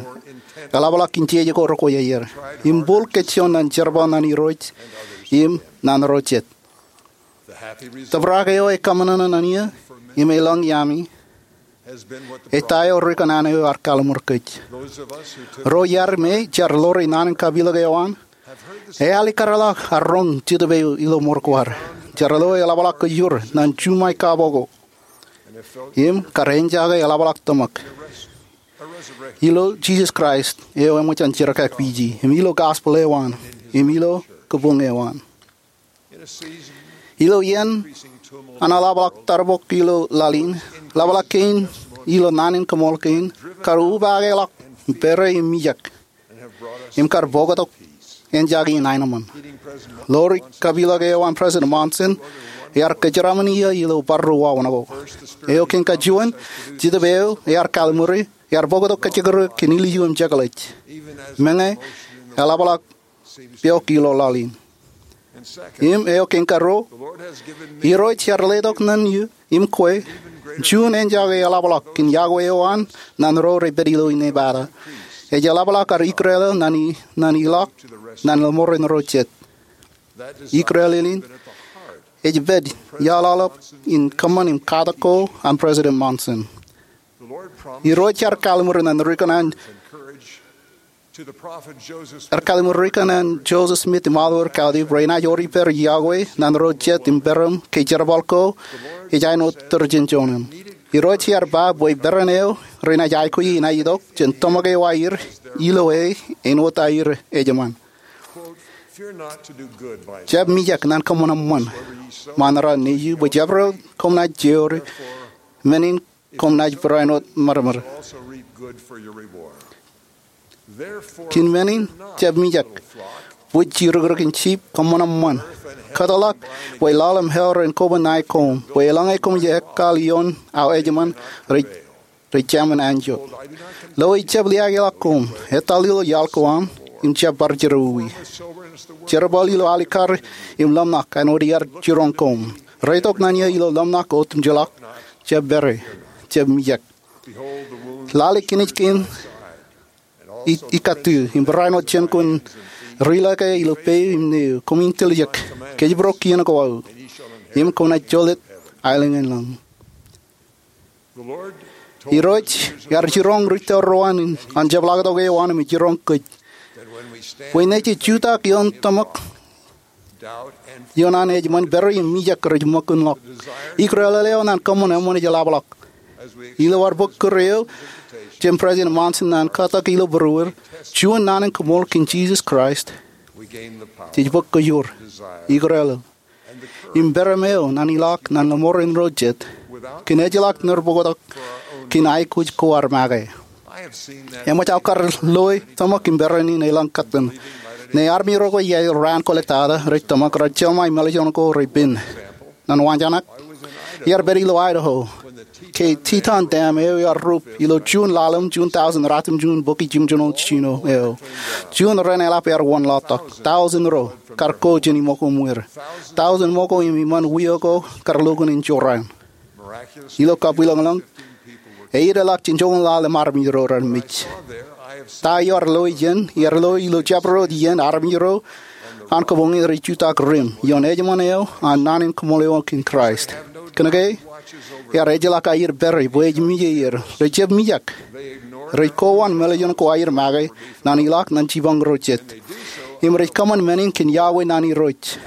eḷapḷọk kōn jeje ko rekwe aer im bōk kōj juon ñan jerbal ñan Irooj im ñan ro jet. Tōprak eo ekōṃṃan ñan eō im elōñ iaami ej ta eo ri kōṇaan eo ear kalliṃur kōj. Ro iar me jar ḷoor naan in kapilōk eo an, ear likūtḷọk ak roñ Jetōb eo ilo ṃor ko ad. Jar lo eḷapḷọk kōjro ñan juṃae kapo ko im kar ejjake eḷapḷọk tōmak ilo Jisōs Kraist eo eṃōj an jerkakpeje, im ilo gospel eo an, im ilo kabuñ eo an. Ilo iien an eḷapḷọk tarbok ilo laḷ in, eḷapḷọk kein ilo naan in kaṃool kein kar upakeḷọk pere im mijak im kar bōktok ejjake in aenōṃṃan. Ḷoor kapilōk eo an President Monson ear kōjeraṃṃan iiō ilo bar ro wāween ko. Eo kein kajuon, Jetōb eo ear kalliṃure ear bōktok kōjekdọọn kōn ilju im jekḷaj, meñe eḷapḷọk pok ilo laḷ in. Im eo kein karuo, Irooj ear letok ñan eō im kwe juon ejjake eḷapḷọk kōn yokwe eo an ñan ro rej pād ilo inepata. Ej eḷapḷọk ad ikrel eo ñan i, ñan ilọk ñan ḷōṃaro ro jet. Ikrel in ej pād iaḷ aolep in kōṃṃan im katak ko an President Monson. Irooj ear kalliṃur ñan ri kōṇaan ear kalliṃur ri kōṇaan Joseph Smith im Oliver Cowdery bwe enaaj wōr ippād yokwe ñan ro jet im peran ke jerbal ko ej āinwōt tūrjin joñan. Irooj ear ba bwe peran eo renaaj aikuji enaaj itok jān tōmak eo aer ilo e āinwōt aer ejṃaan. Jab mijak ñan kōṃṃan eṃṃan ṃaan raan nejū, bwe jabdewōt koṃ naaj jeor, men in koṃ naaj barāinwōt ṃadṃōd. Kōn men in, jab mijak, bwe jirokirokin jip kōṃṃan eṃṃan. Kōtḷọk bwe lọọl im hell ren koba ṇae koṃ, bwe eḷaññe koṃij ekkaḷ ioon aō ejṃan, rej, rej jāmin anjọ. Lo ejab liaakḷọk koṃ, etal ilo iaḷ ko aṃ, im jab bar jerọwiwi. Jerbal ilo alikar im ḷōmṇak āinwōt iar jiroñ koṃ. Reitok ṇae eo ilo ḷōmṇak otemjeḷọk, jab pere, jab mijak. Lale kinej kein i, ikatū, im barāinwōt jān kwōn ri-lōke ilo peiū im neū, koṃ in tiljek, kōjparok kien ko aō, im kwōnaaj jolōt aelōñ in lañ. Irooj ear jiroñ ri tōl ro an, an jepḷaaktok eo an im jiroñ kōj bwe ṇe jej jutak ioon tōmak ioon an ejṃan, pere im mijak rej ṃōkinḷọk. Ikrelel eo an kōṃṃan eṃṃan ej ḷapḷọk. Ilo ad bōk kūr eo jān President Monson an katak ilo būruer, juon naan in kōṃṃool kōn Jisōs Kraist, jej bōk kōjoor, ikrelel, im pere eo an ilọk ñan lọmọọren ro jet, kōn ejjeḷọk ṇerbōktok kōn aikuj ko ad make. Eṃōj aō kar loe tōmak im pere in elōñ kōttan. Ṇe armej ro ko iaer raan ko ḷọk tata, rej tōmak, rej jeḷā im ālikin ko rej pen. Ñan wañjanak, iar pād ilo Idaho ke Teton Dam eo ear rup ilo Juun ḷalem, Juun tōūsan ratimjuon bōki jimjuonñoul jiljino eo. Juon ren eḷap ear wōnḷọktok. Tōūsan ro kar ko jān iṃōko ṃweier. Tōūsan ṃōko im iṃaan wio ko kar lukkuun in jorrāān. Ilo kabwilōñlōñ, eiiet eḷak jān joñoul ḷalem armej ro raar mej. Ta eo ear loe iien, ear loe ilo jabdewōt iien armej ro an kōpoñe rej jutak rim ioon ejṃan eo an naan in kōṃṃool eo kōn Kraist. Kōnke ear ejjeḷọk aer pere bwe ej mije er, rej jab mijak. Rej kowaan im ālikin ko aer make ñan ilọk ñan jipañ ro jet. Im rej kōṃṃan men in kōn iọkwe ñan Irooj.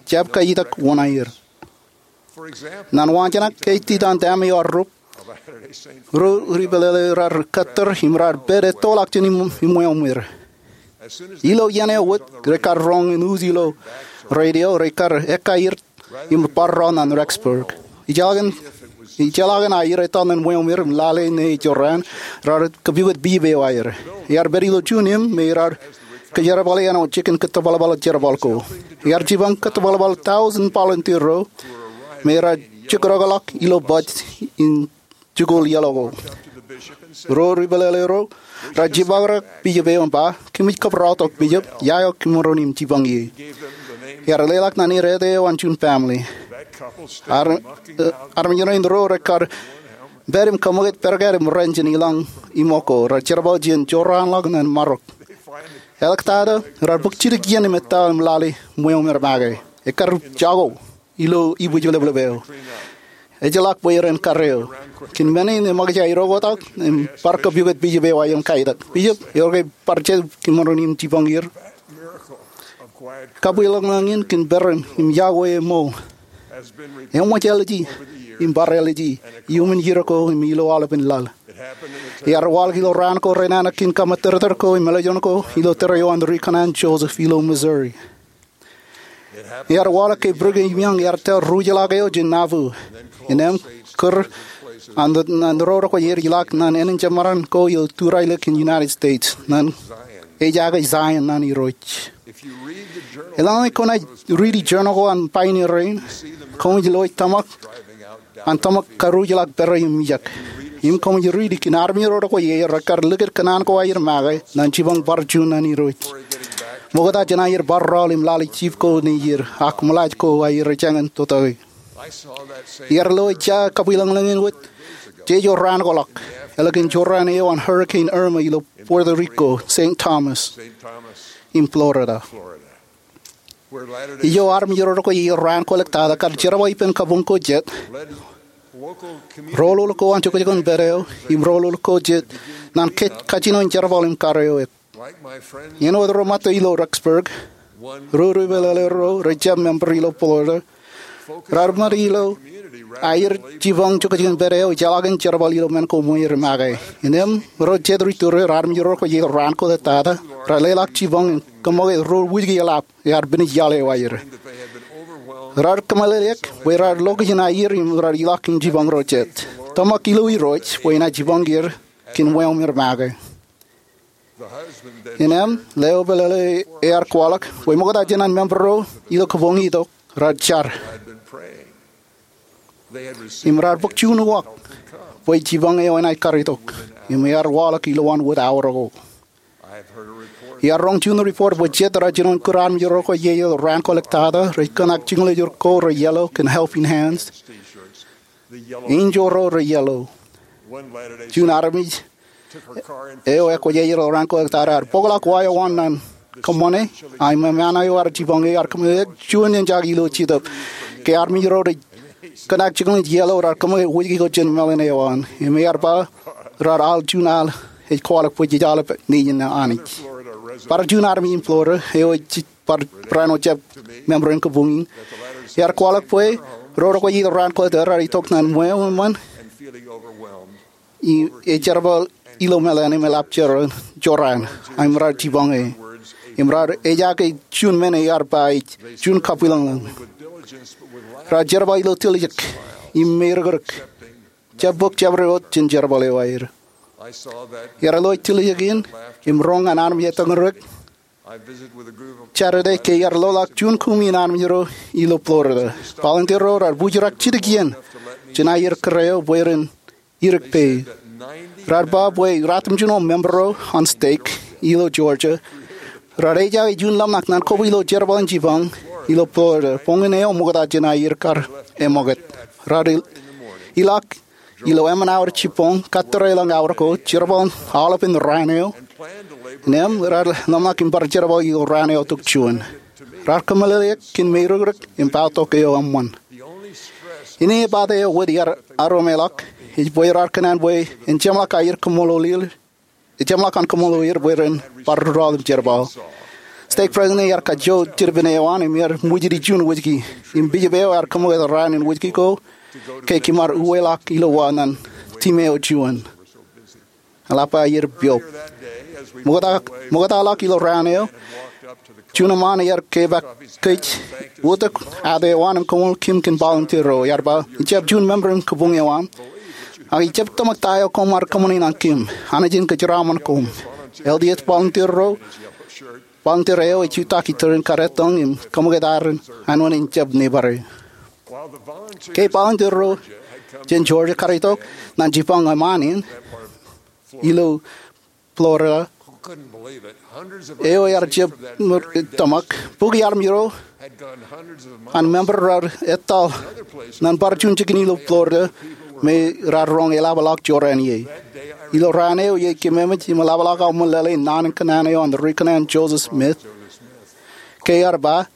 Jab kajjitōk wōṇāer. Ñan wañjanak, ke Teton Dam eo ear rup, ro ri pālele raar kōttar im raar pād ettoḷọk jān im, iṃweo ṃweier. Ilo iien eo wōt, rekar roñ in use ilo radio, rekar ekkaer im bar rọọl ñan Rexburg. Ijjeḷọkin, ijjeḷọkin aer etal ñan ṃweo ṃweier im lale ṇe ej jorrāān, raar kōpukot Bishop eo aer. Ear pād ilo juon im me raar kōjerbale āinwōt jikin kōttōbalbal jerbal ko. Ear jipañ kōttōbalbal tōūsan volunteer ro me raar jekdọkḷọk ilo baj in jikuuḷ yellow ko. Ro ri pālele ro raar jibakrak Bishop eo im ba, "Kōmij kabaraotok Bishop, ia eo kōmro aikuj jipañ ie." Ear leḷọk ñan er ete eo an juon family. Ar, eh, armej rein ro rekar pād im kōṃṃakūt pād kōn im ren jān ilañ iṃōko, raar jerbal jān jorrāānḷọk ñan marok. Eḷak tata, raar bōk jidik iien im etal im lale ṃweo ṃweier make. Ekar jako ilo ibwij leplepeo. Ejjeḷọk bwe ren kar eo. Kōn men in eṃōkaj aer oktak im bar kōpukot Bishop eo aer im kaetak, "Bishop, ewōr ke bar jet kōmro aikuj jipañ er?" Kabwilōñlōñ in kōn pere im iọkwe eṃool eṃōj āliji im bar āliji iuṃwin iiō ko im ilo aolepen laḷ. Ear waḷọk ilo raan ko renana kōn kaṃōttōrtōr ko im ālikin ko ilo tōre eo an Ri Kanaan Joseph ilo Missouri. Ear waḷọk ke Brigham Young ear tōl ruj ḷọk eo jān Nauvoo, innām kūr an, an ro ko aer ilọk ñan ānin jemaran ko ilo turaḷ kōn United States, ñan ej jake Zion ñan Irooj. Eḷaññe kwōnaaj riiti journal ko an pioneer rein, koṃij loe tōmak an tōmak karuj ḷọk pere im mijak. Im koṃij riiti kōn armej ro ko aer rekar likūt kōṇaan ko aer make ñan jipañ bar juon ñan Irooj. Ṃokta jān aer bar rọọl im lale jip ko ṇe ier, ak ṃōḷaaj ko aer ejāñin tōtōke. Ear loe ija kabwilōñlōñ in wōt jeje raan ko ḷọk, ālikin jorrāān eo an Hurricane Irma ilo Puerto Rico, Saint Thomas, im Florida. Ijo armej ro ko aer raan ko ḷọk tata kar jerbal ippān kabuñ ko jet, roñoul ko an jokjokon pād eo, im roñoul ko jet ñan kajjino in jerbal im kar eok. Āinwōt ro ṃōttan ilo Rexburg, ro ri pālele ro rej jab member ilo Florida raar ṃōttan ilo aer jipañ jokjokon pād eo ejjeḷọkin jerbal ilo men ko ṃweier make. Innām ro jet ri tōre, armej ro ko aer raan ko ḷọk tata, raar leḷọk jipañ im kōṃṃakūt ro wūjke eḷap ear pinej iaḷ eo aer. Raar kōmeḷeḷeik bwe raar lokijen aer im raar ilọk im jipañ ro jet. Tōmak ilo Irooj bwe enaaj jipañ er kōn ṃweo ṃweier make. Innām, leo pālle ear kwaḷọk bwe ṃokta jān an member ro ilo kabuñ itok raar jar im raar bōk juon uwaak bwe jipañ eo enaaj karitok, im ear waḷọk ilowaan wōt awa ko. Iar roñ juon report bwe jet raar jino kūr armej ro ko ie ilo raan ko ḷọk tata rej kōṇak jiljilimjuon ko rej yellow kōn Helping Hands, enjeḷ ro rej yellow. Juon armej eo ekwōj ej ilo raan ko ḷọk tata ear bōkḷọk wa eo an ñan kōṃṃane, ak im eṃṃan eo ear jipañ ear kōṃṃane juon eṇ jake ilo Jetōb. Ke armej ro rej kōṇak jiljilimjuon yellow raar kōṃṃane wōjke ko jān mālōtlōt eo an, im ear ba raar al juon al ej kwaḷọk bwe jej aolep nejin Anij. Bar juon armej in Florida eo ej bar barāinwōt jab member in kabuñ in, ear kwaḷọk bwe ro ro ko ilo raan ko ḷọk tata raar itok ñan ṃweo eṃṃan im ejerbal ilo meḷan im eḷap jorrāān, ak im raar jipañ e. Im raar ejaake juon men ear ba ej juon kabwilōñlōñ. Raar jerbal ilo tiljek im meirōkrōk, jab bōk jabdewōt jān jerbal eo aer. Iar lo tiljek in im roñ ñan armej etōñrōk Saturday ke iar loḷọk juon kumi in armej ro ilo Florida. Volunteer ro raar bōjrak jidik iien jān aer kōrā eo bwe ren irik peiṃ. Raar ba bwe ratimjuon member ro an stake ilo Georgia raar ejaake juon ḷōmṇak ñan kobwe ilo jerbal in jipañ ilo Florida boñin eo ṃokta jān aer kar eṃṃakūt. Raar ilọk ilo emān awa jibboñ, kōttar ḷọk awa ko, jerbal aolepen raan eo. Innām raar ḷōmṇak im bar jerbal ilo raan eo tok juon. Raar kōmeḷeḷeik kōn meirōkrōk im paotok eo eṃṃan. Inepata eo wōt iar aromeḷọk ej bwe raar kōṇaan bwe en jeṃḷọk aer kōṃṃool er, jeṃḷọk an kōṃṃool er bwe ren bar rūtto im jerbal. Stake president ear kajjo jidpin eo an im ear ṃwijiti juon wōjke. Im bishop eo ear kōṃṃakūt raan in wōjke ko ke kōm ar uweḷọk ilo wa ñan team eo juon. Eḷap aer piop. Ṃokta, ṃokta ḷọk ilo raan eo, juon eṃṃaan ear kepaak kōj wōt tok āt eo an im koṃṃool kōm kōn volunteer ro. Ear ba, ij jab juon member in kabuñ eo aṃ, ak ij jab tōmak ta eo koṃ ar kōṃṃane ñan kōm. Anij en kōjeraaṃṃan koṃ. L D S volunteer ro, volunteer eo ej jutak itōn kar ettōñ im kōṃakūt ad āinwōt en jab neighbor e. Ke volunteer ro jān Georgia karitok ñan jipañ eṃṃaan in ilo Florida eo ear jab tōmak, bukwi armej ro an member raar etal ñan bar juon jikin ilo Florida me raar roñ eḷapḷọk jorrāān ie. Ilo raan eo iej kōmemej im eḷapḷọk aō ṃōn lale naan in kōṇaan eo an ri kōṇaan Joseph Smith, ke ear ba,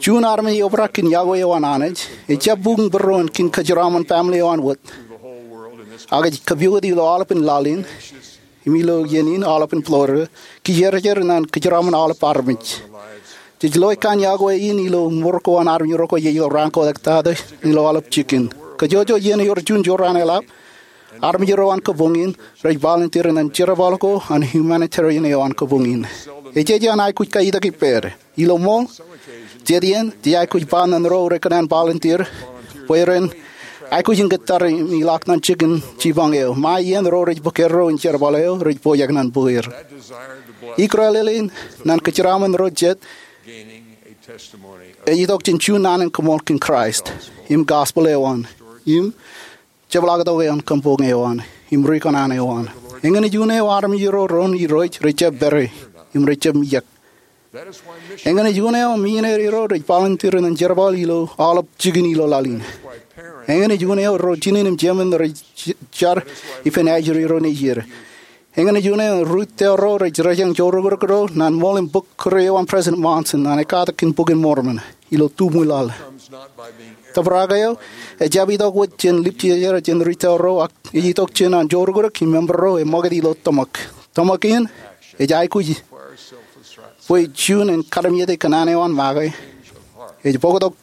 juon armej eobrak kōn yokwe eo an Anij ej jab bukun būruon kōn kōjeraaṃṃan family eo an wōt, ak ej kōpooj ilo aolepen laḷ in im ilo iien in aolepen Florida, kijerjer ñan kōjeraaṃṃan aolep armej. Jej lo ekkan yokwe in ilo mour ko an armej ro ko ie ilo raan ko ḷọk tata ilo aolep jikin. Kōjwōjwōj iien ewōr juon jorrāān eḷap, armej ro an kabuñ in rej volunteer ñan jerbal ko an humanitarian eo an kabuñ in. Ejeje an aikuj kaitok ippād. Ilo ṃool, jet iien jej aikuj ba ñan ro rej kōṇaan volunteer bwe ren aikuj in kōttar im ilọk ñan jikin jipañ eo. Ṃae iien ro rej bōk erro in jerbal eo rej pojak ñan bōk er. Ikrelel in ñan kōjeraaṃṃan ro jet ej itok jān juon naan in koṃṃool kōn Kraist im gospel eo an im jepḷaaktok eo an kabuñ eo an im ri kōṇaan eo an. Eñin juon eo armej ro doon Irooj rej jab pād e im rej jab mijak. Eñin juon eo misineri ro rej volunteer ñan jerbal ilo aolep jikin ilo laḷ in. Eñin juon eo ro jinen im jemān rej j-, jar ippān ajri ro nejier. Eñin juon eo ri tōl ro rej rōjañ joorōkrōk ro ñan ṃool im bōk kūr eo an President Monson ñan ekkatak kōn Bok in Mormon ilo tumi laḷ. Tōprak eo ejjab itok wōt jān lipjeje jān ri tōl ro ak ej itok jān an joorōkrōk im member ro eṃṃakūt ilo tōmak. Tōmak in ej aikuj bwe juon en kalimjete kōṇaan eo an make. Ej bōktok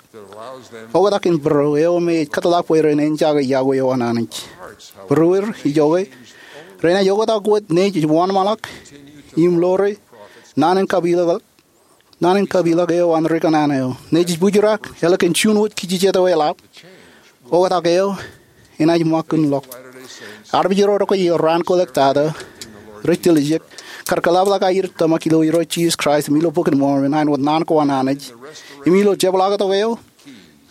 oktak in būruo eo me ej kōtḷọk bwe ren enjake yokwe eo an Anij. Būruer ijoke renaaj oktak wōt nejū wōnṃaanḷọk im ḷoore naan in kapilōk, naan in kapilōk eo an ri kōṇaan eo. Nejū bōjrak ālikin juon wōt kijejet eo eḷap. Oktak eo enaaj ṃakūtḷọk. Armej ro rej kwe ilo raan ko ḷọk tata rej tiljek kar kōḷapḷọk aer tōmak ilo Irooj Jisōs Kraist im ilo Bok in Mormon, āinwōt naan ko an Anij, im ilo jepḷaaktok eo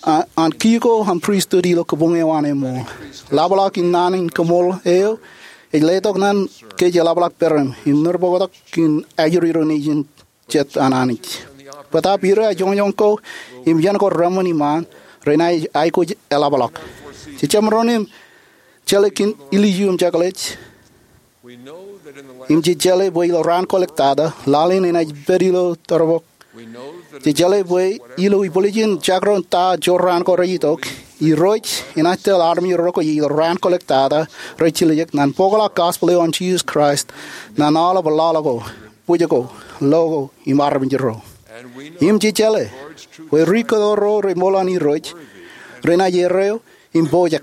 an, an key ko an pristut ilo kabuñ eo an eṃool. Ḷapḷọk in naan in kaṃool eo ej letok ñan kōj eḷapḷọk peran im ṇerboktok in ajri ro nejin jet an Anij. Bōtaab ilo ajoñjoñ ko im iien ko reṃṃan iṃaan, renaaj aikuj eḷapḷọk. Jej jab maroñ in jeḷā kōn ilju im jekḷaj, im jej jeḷā bwe ilo raan kolōk tata, laḷ in enaaj pād ilo tōrbok. Jej jeḷā bwe ilo ibwiljin jakro ta jooraan ko rej itok, Irooj enaaj tōl armej ro ko ilo raan kolōk tata rej jiljek ñan bōkḷọk gospel eo an Jisōs Kraist ñan aolep laḷ ko, bwij ko, lo ko, im armej ro. Im jej jeḷā bwe ri kōto ro reṃool an Irooj renaaj erreo im pojak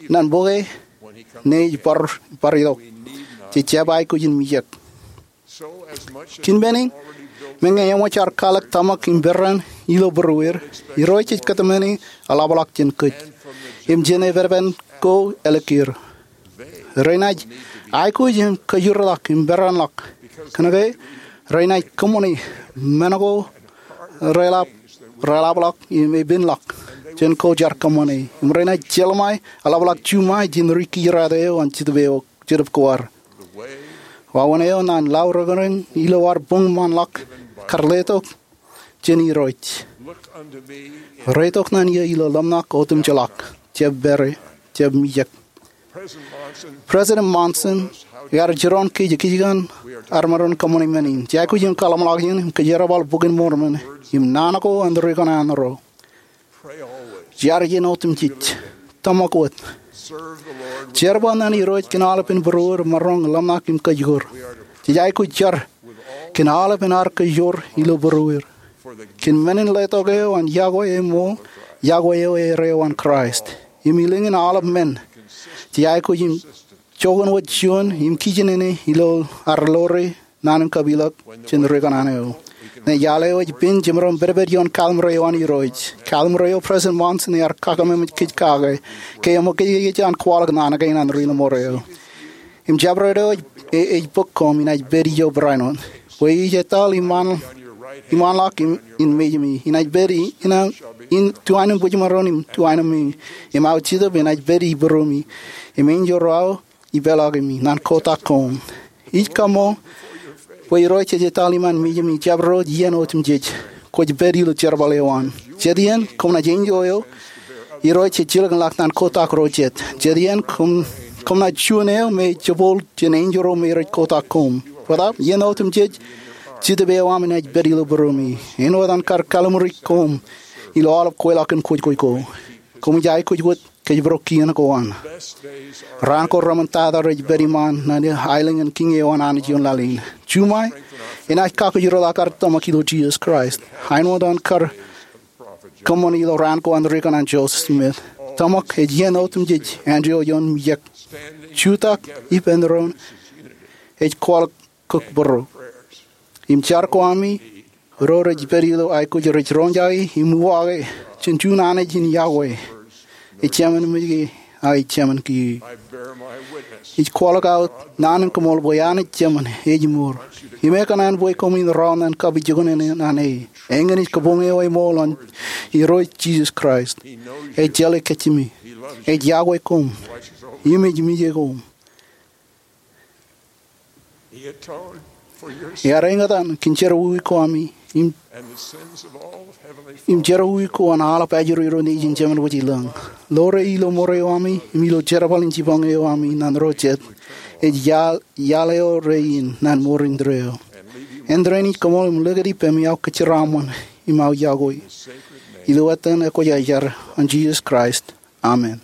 ñan bōke ñe ej bar, bar itok. Jej jab aikuj in mijak. Kōn men in, meñe eṃōj ad kwaḷọk tōmak im peran ilo būrueir, Irooj ej kōtmāne eḷapḷọk jān kōj im jān epepen ko ālikier. Renaaj aikuj im kōjirḷọk im peranḷọk kōnke renaaj kōṃṃane men ko reḷap, reḷapḷọk im epenḷọk jān ko jaar kōṃṃane. Im renaaj jeḷā ṃae eḷapḷọk juṃae jān ri kijerato eo an Jetōb eo, Jetōb Kwōjarjar. Wāween eo ñan laurōkōn ilo ad buñṃanḷọk kar letok jān Irooj. Reitok ñan eō ilo ḷōmṇak otemjeḷọk, jab pād, jab mijak. President Monson ear jiroñ kōj kajjien ad maroñ kōṃṃane men in. Jej aikuj in kōḷmānḷọkjeṇ im kōjerbal Bok in Mormon im naan ko an rikōṇaan ro. Jar iien otemjej. Tōmak wōt. Jerbal ñan Irooj kōn aolepen būrueir, maroñ ḷōmṇak im kōjkor. Jej aikuj jar kōn aolepen ad kōjkor ilo būrueir. Kōn men in letok eo an yokwe eṃool, yokwe eo erreo an Kraist. Im ilōñ in aolep men, jej aikuj in joñan wōt juon im kijenene ilo ad ḷoore naan in kapilōk jān rikōṇaan eo. Ñe iaḷ eo ej pen jemaroñ pedped ioon kallim̧ur eo an Irooj. Kallim̧ur eo President Monson ear kōṃṃan kōj kake ke eṃōkaj kōj an kwaḷọk naan kein an ri ḷōṃaro. Im jabdewōt eo ej, e-, ej bōk koṃ, inaaj pād ijo barāinwōt. Bwe ij etal iṃaan, iṃaanḷọk im, in mejāmi. Inaaj pād i-, inaaj, in tuwainwōt bwijmaroñ im tuwainwōt mejāmi. Im aō Jetōb enaaj pād ibūromi. Im enjeḷ ro aō ipeḷaakimi ñan kotak koṃ. Ij kaṃṃool bwe Irooj ej etal iṃaan mejāmi jabdewōt iien otemjej. Kwōj pād ilo jerbal eo an. Jet iien koṃ naaj enjeḷ eo Irooj ej jilkinḷọk ñan kotak ro jet. Jet iien koṃ, koṃ naaj juon eo me ej jebooḷ jān enjeḷ ro me rej kotak koṃ. Bōtaab iien otemjej, Jetōb eo aṃ enaaj pād ilo būromi. Āinwōt an kar kalliṃuri koṃ ilo aolep kweilọk in kwōjkwōj ko. Koṃij aikuj wōt kōjparok kien ko an. Raan ko reṃṃan tata rej pād iṃaan ñan aelōñ in kiiñ eo an Anij ioon laḷ in. Juṃae, enaaj kakōjorḷọk ad tōmak ilo Jisōs Kraist. Āinwōt an kar kōṃṃan ilo raan ko an rikōṇaan Joseph Smith. Tōmak ej iien otemjej āindeeo ioon mijak. Jutak ippān doon ej kwaḷọk kōkbōro. Im jar ko ami, ro rej pād ilo aikuj rej roñjake im uwaake jān juon Anij in yokwe. Ej Jemān mej ke, ak ej Jemān kiiō. Ij kwaḷọk aō naan in kaṃool bwe Anij Jemān ej mour. Im ekōṇaan bwe koṃwin raon ñan kapijuknen naan e. Eñin ej kabuñ eo eṃool an Irooj Jisōs Kraist. Ej jeḷā kōjjimi. Ej yokwe koṃ. Im ej mije koṃ. Ear eñtaan kōn jerọwiwi ko ami im, im jerọwiwi ko an aolep ajri ro nejin Jemān wōj ilōñ. Ḷoore ilo mour eo ami im ilo jerbal in jipañ eo ami ñan ro jet. Ej iaḷ, iaḷ eo rein ñan mour indeeo. Āindein ij kaṃool im likūt ippemi aō kōjeraaṃṃan im aō yokwe. Ilo etan Ekwōjarjar an Jisōs Kraist. Amen.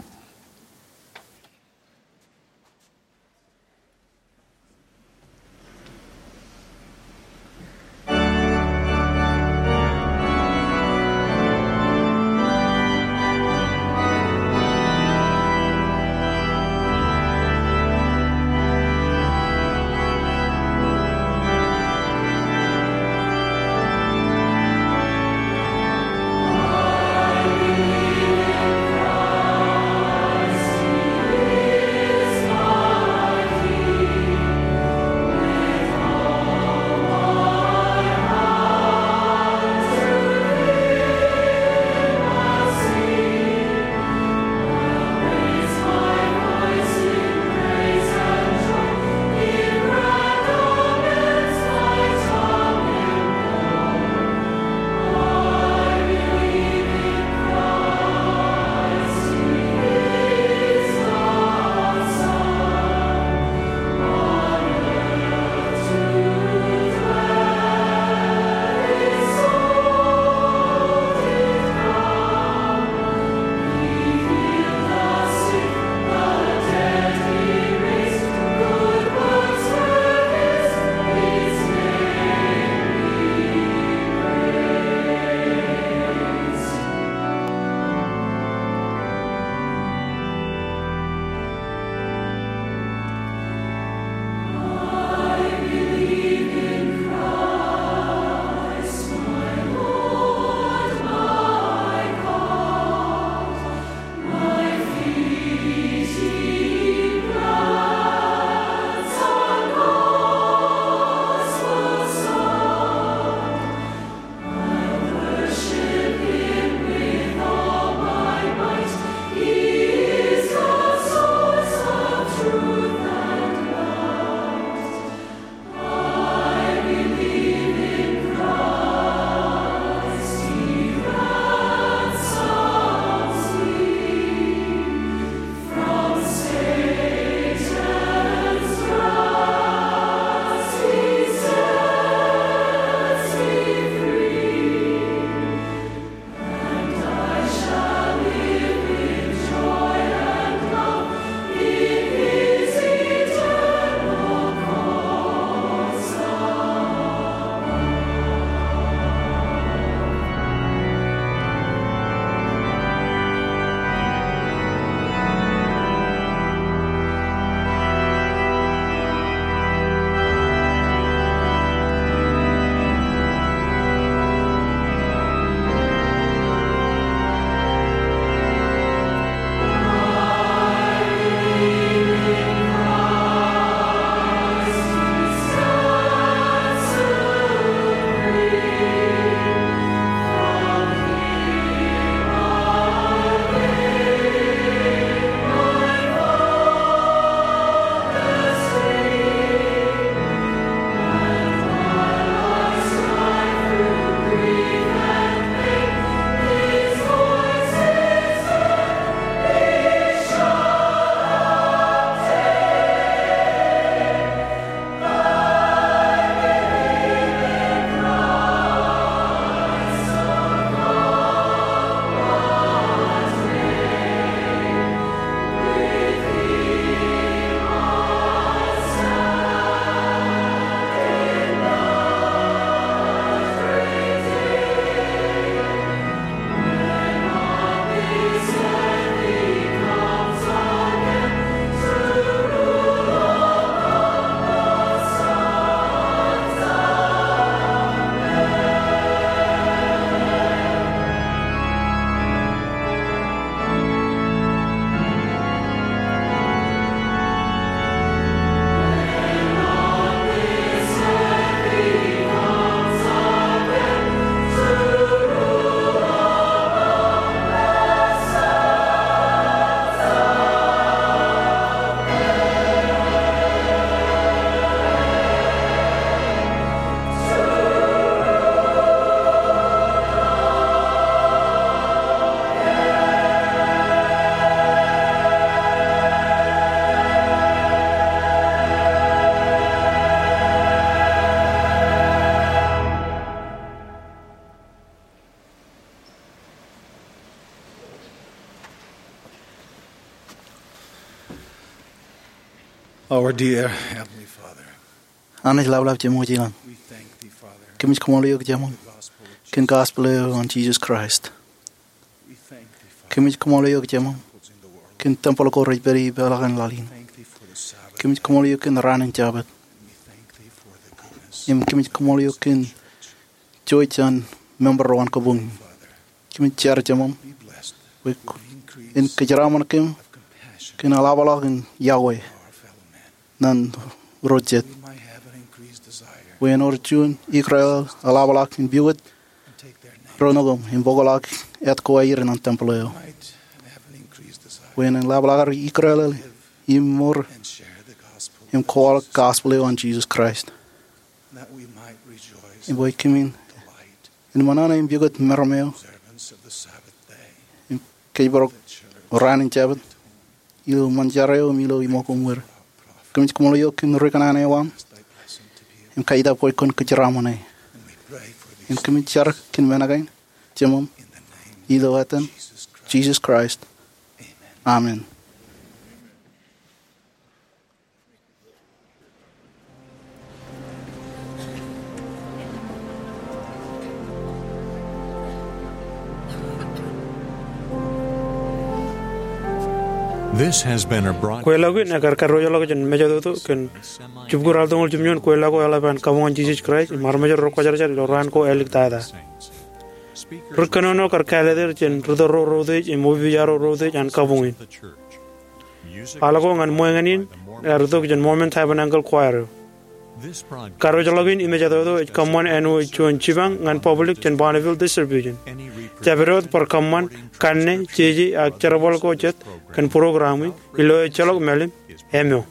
Dear Heavenly Father, Anij Laplap Jemwōj ilañ, we thank thee, Father, kōmij kaṃṃoolol eok Jemām kōn gospel eo an Jesus Christ. We thank thee, Father, kōmij kaṃṃoolol eok Jemām kōn tempel ko rej pād ie ipeḷaakin laḷ in. Thank thee for the Sabbath. Kōmij kaṃṃoolol eok kōn raan in Jabōt. We thank thee for the goodness. Im kōmij kaṃṃoolol eok kōn jouj jān member ro an kabuñ in. Father, kōmij jar Jemām, be blessed, bwe in kōjeraṃṃan kōm, of compassion, kōn eḷapḷọk in yokwe, our fellow men, ñan ro jet. We might have an increased desire, bwe en wōr juon ikōrā eḷapḷọk in pukot, and take their name, ro nukūṃ im bōkḷọk āt ko aer ñan tempel eo. Might have an increased desire, bwe en eḷapḷọk ad ikōrā im mour, and share the gospel, im kwaḷọk gospel eo an Jesus Christ. That we might rejoice, im bwe kōmin delight, in ṃōṇōṇō im pukot meram eo, observance of the Sabbath day, im kōjparok raan in Jabōt, ilo ṃōn jar eo im ilo iṃōk im wōr. Kōmij kaṃṃoolol eok kōn ri kōṇaan eo aṃ, im kaitōk bwe kwōn kōjeraṃṃane. Im kōmij jar kōn men kaṇ, Jemām, ilo etaṃ, Jesus Christ. Amen. This has been a broad- Kweilọk in ekar kadiwōjḷọk jān mejatoto kōn jibukwi raar tōñoul jimjuon kweilọk ko eḷap an kabuñ an Jisōs Kraist im armej ro rekwōjarjar ilo raan ko āliktata. Ri kōnono kar kāālōt er jān ri tōl ro reutiej im opiij ro reutiej an kabuñ in. Aḷ ko ñan ṃweiññan in ear itok jān Mormon Tabernacle Choir eo. Kadiwōjḷọk in im mejatoto ej kōṃṃan āinwōt juon jipañ ñan public jān Bonneville Distribution. Jabdewōt bar kōṃṃan kanne, jeje, ak jerbal ko jet kōn program in ilo ejjeḷọk mālim eo.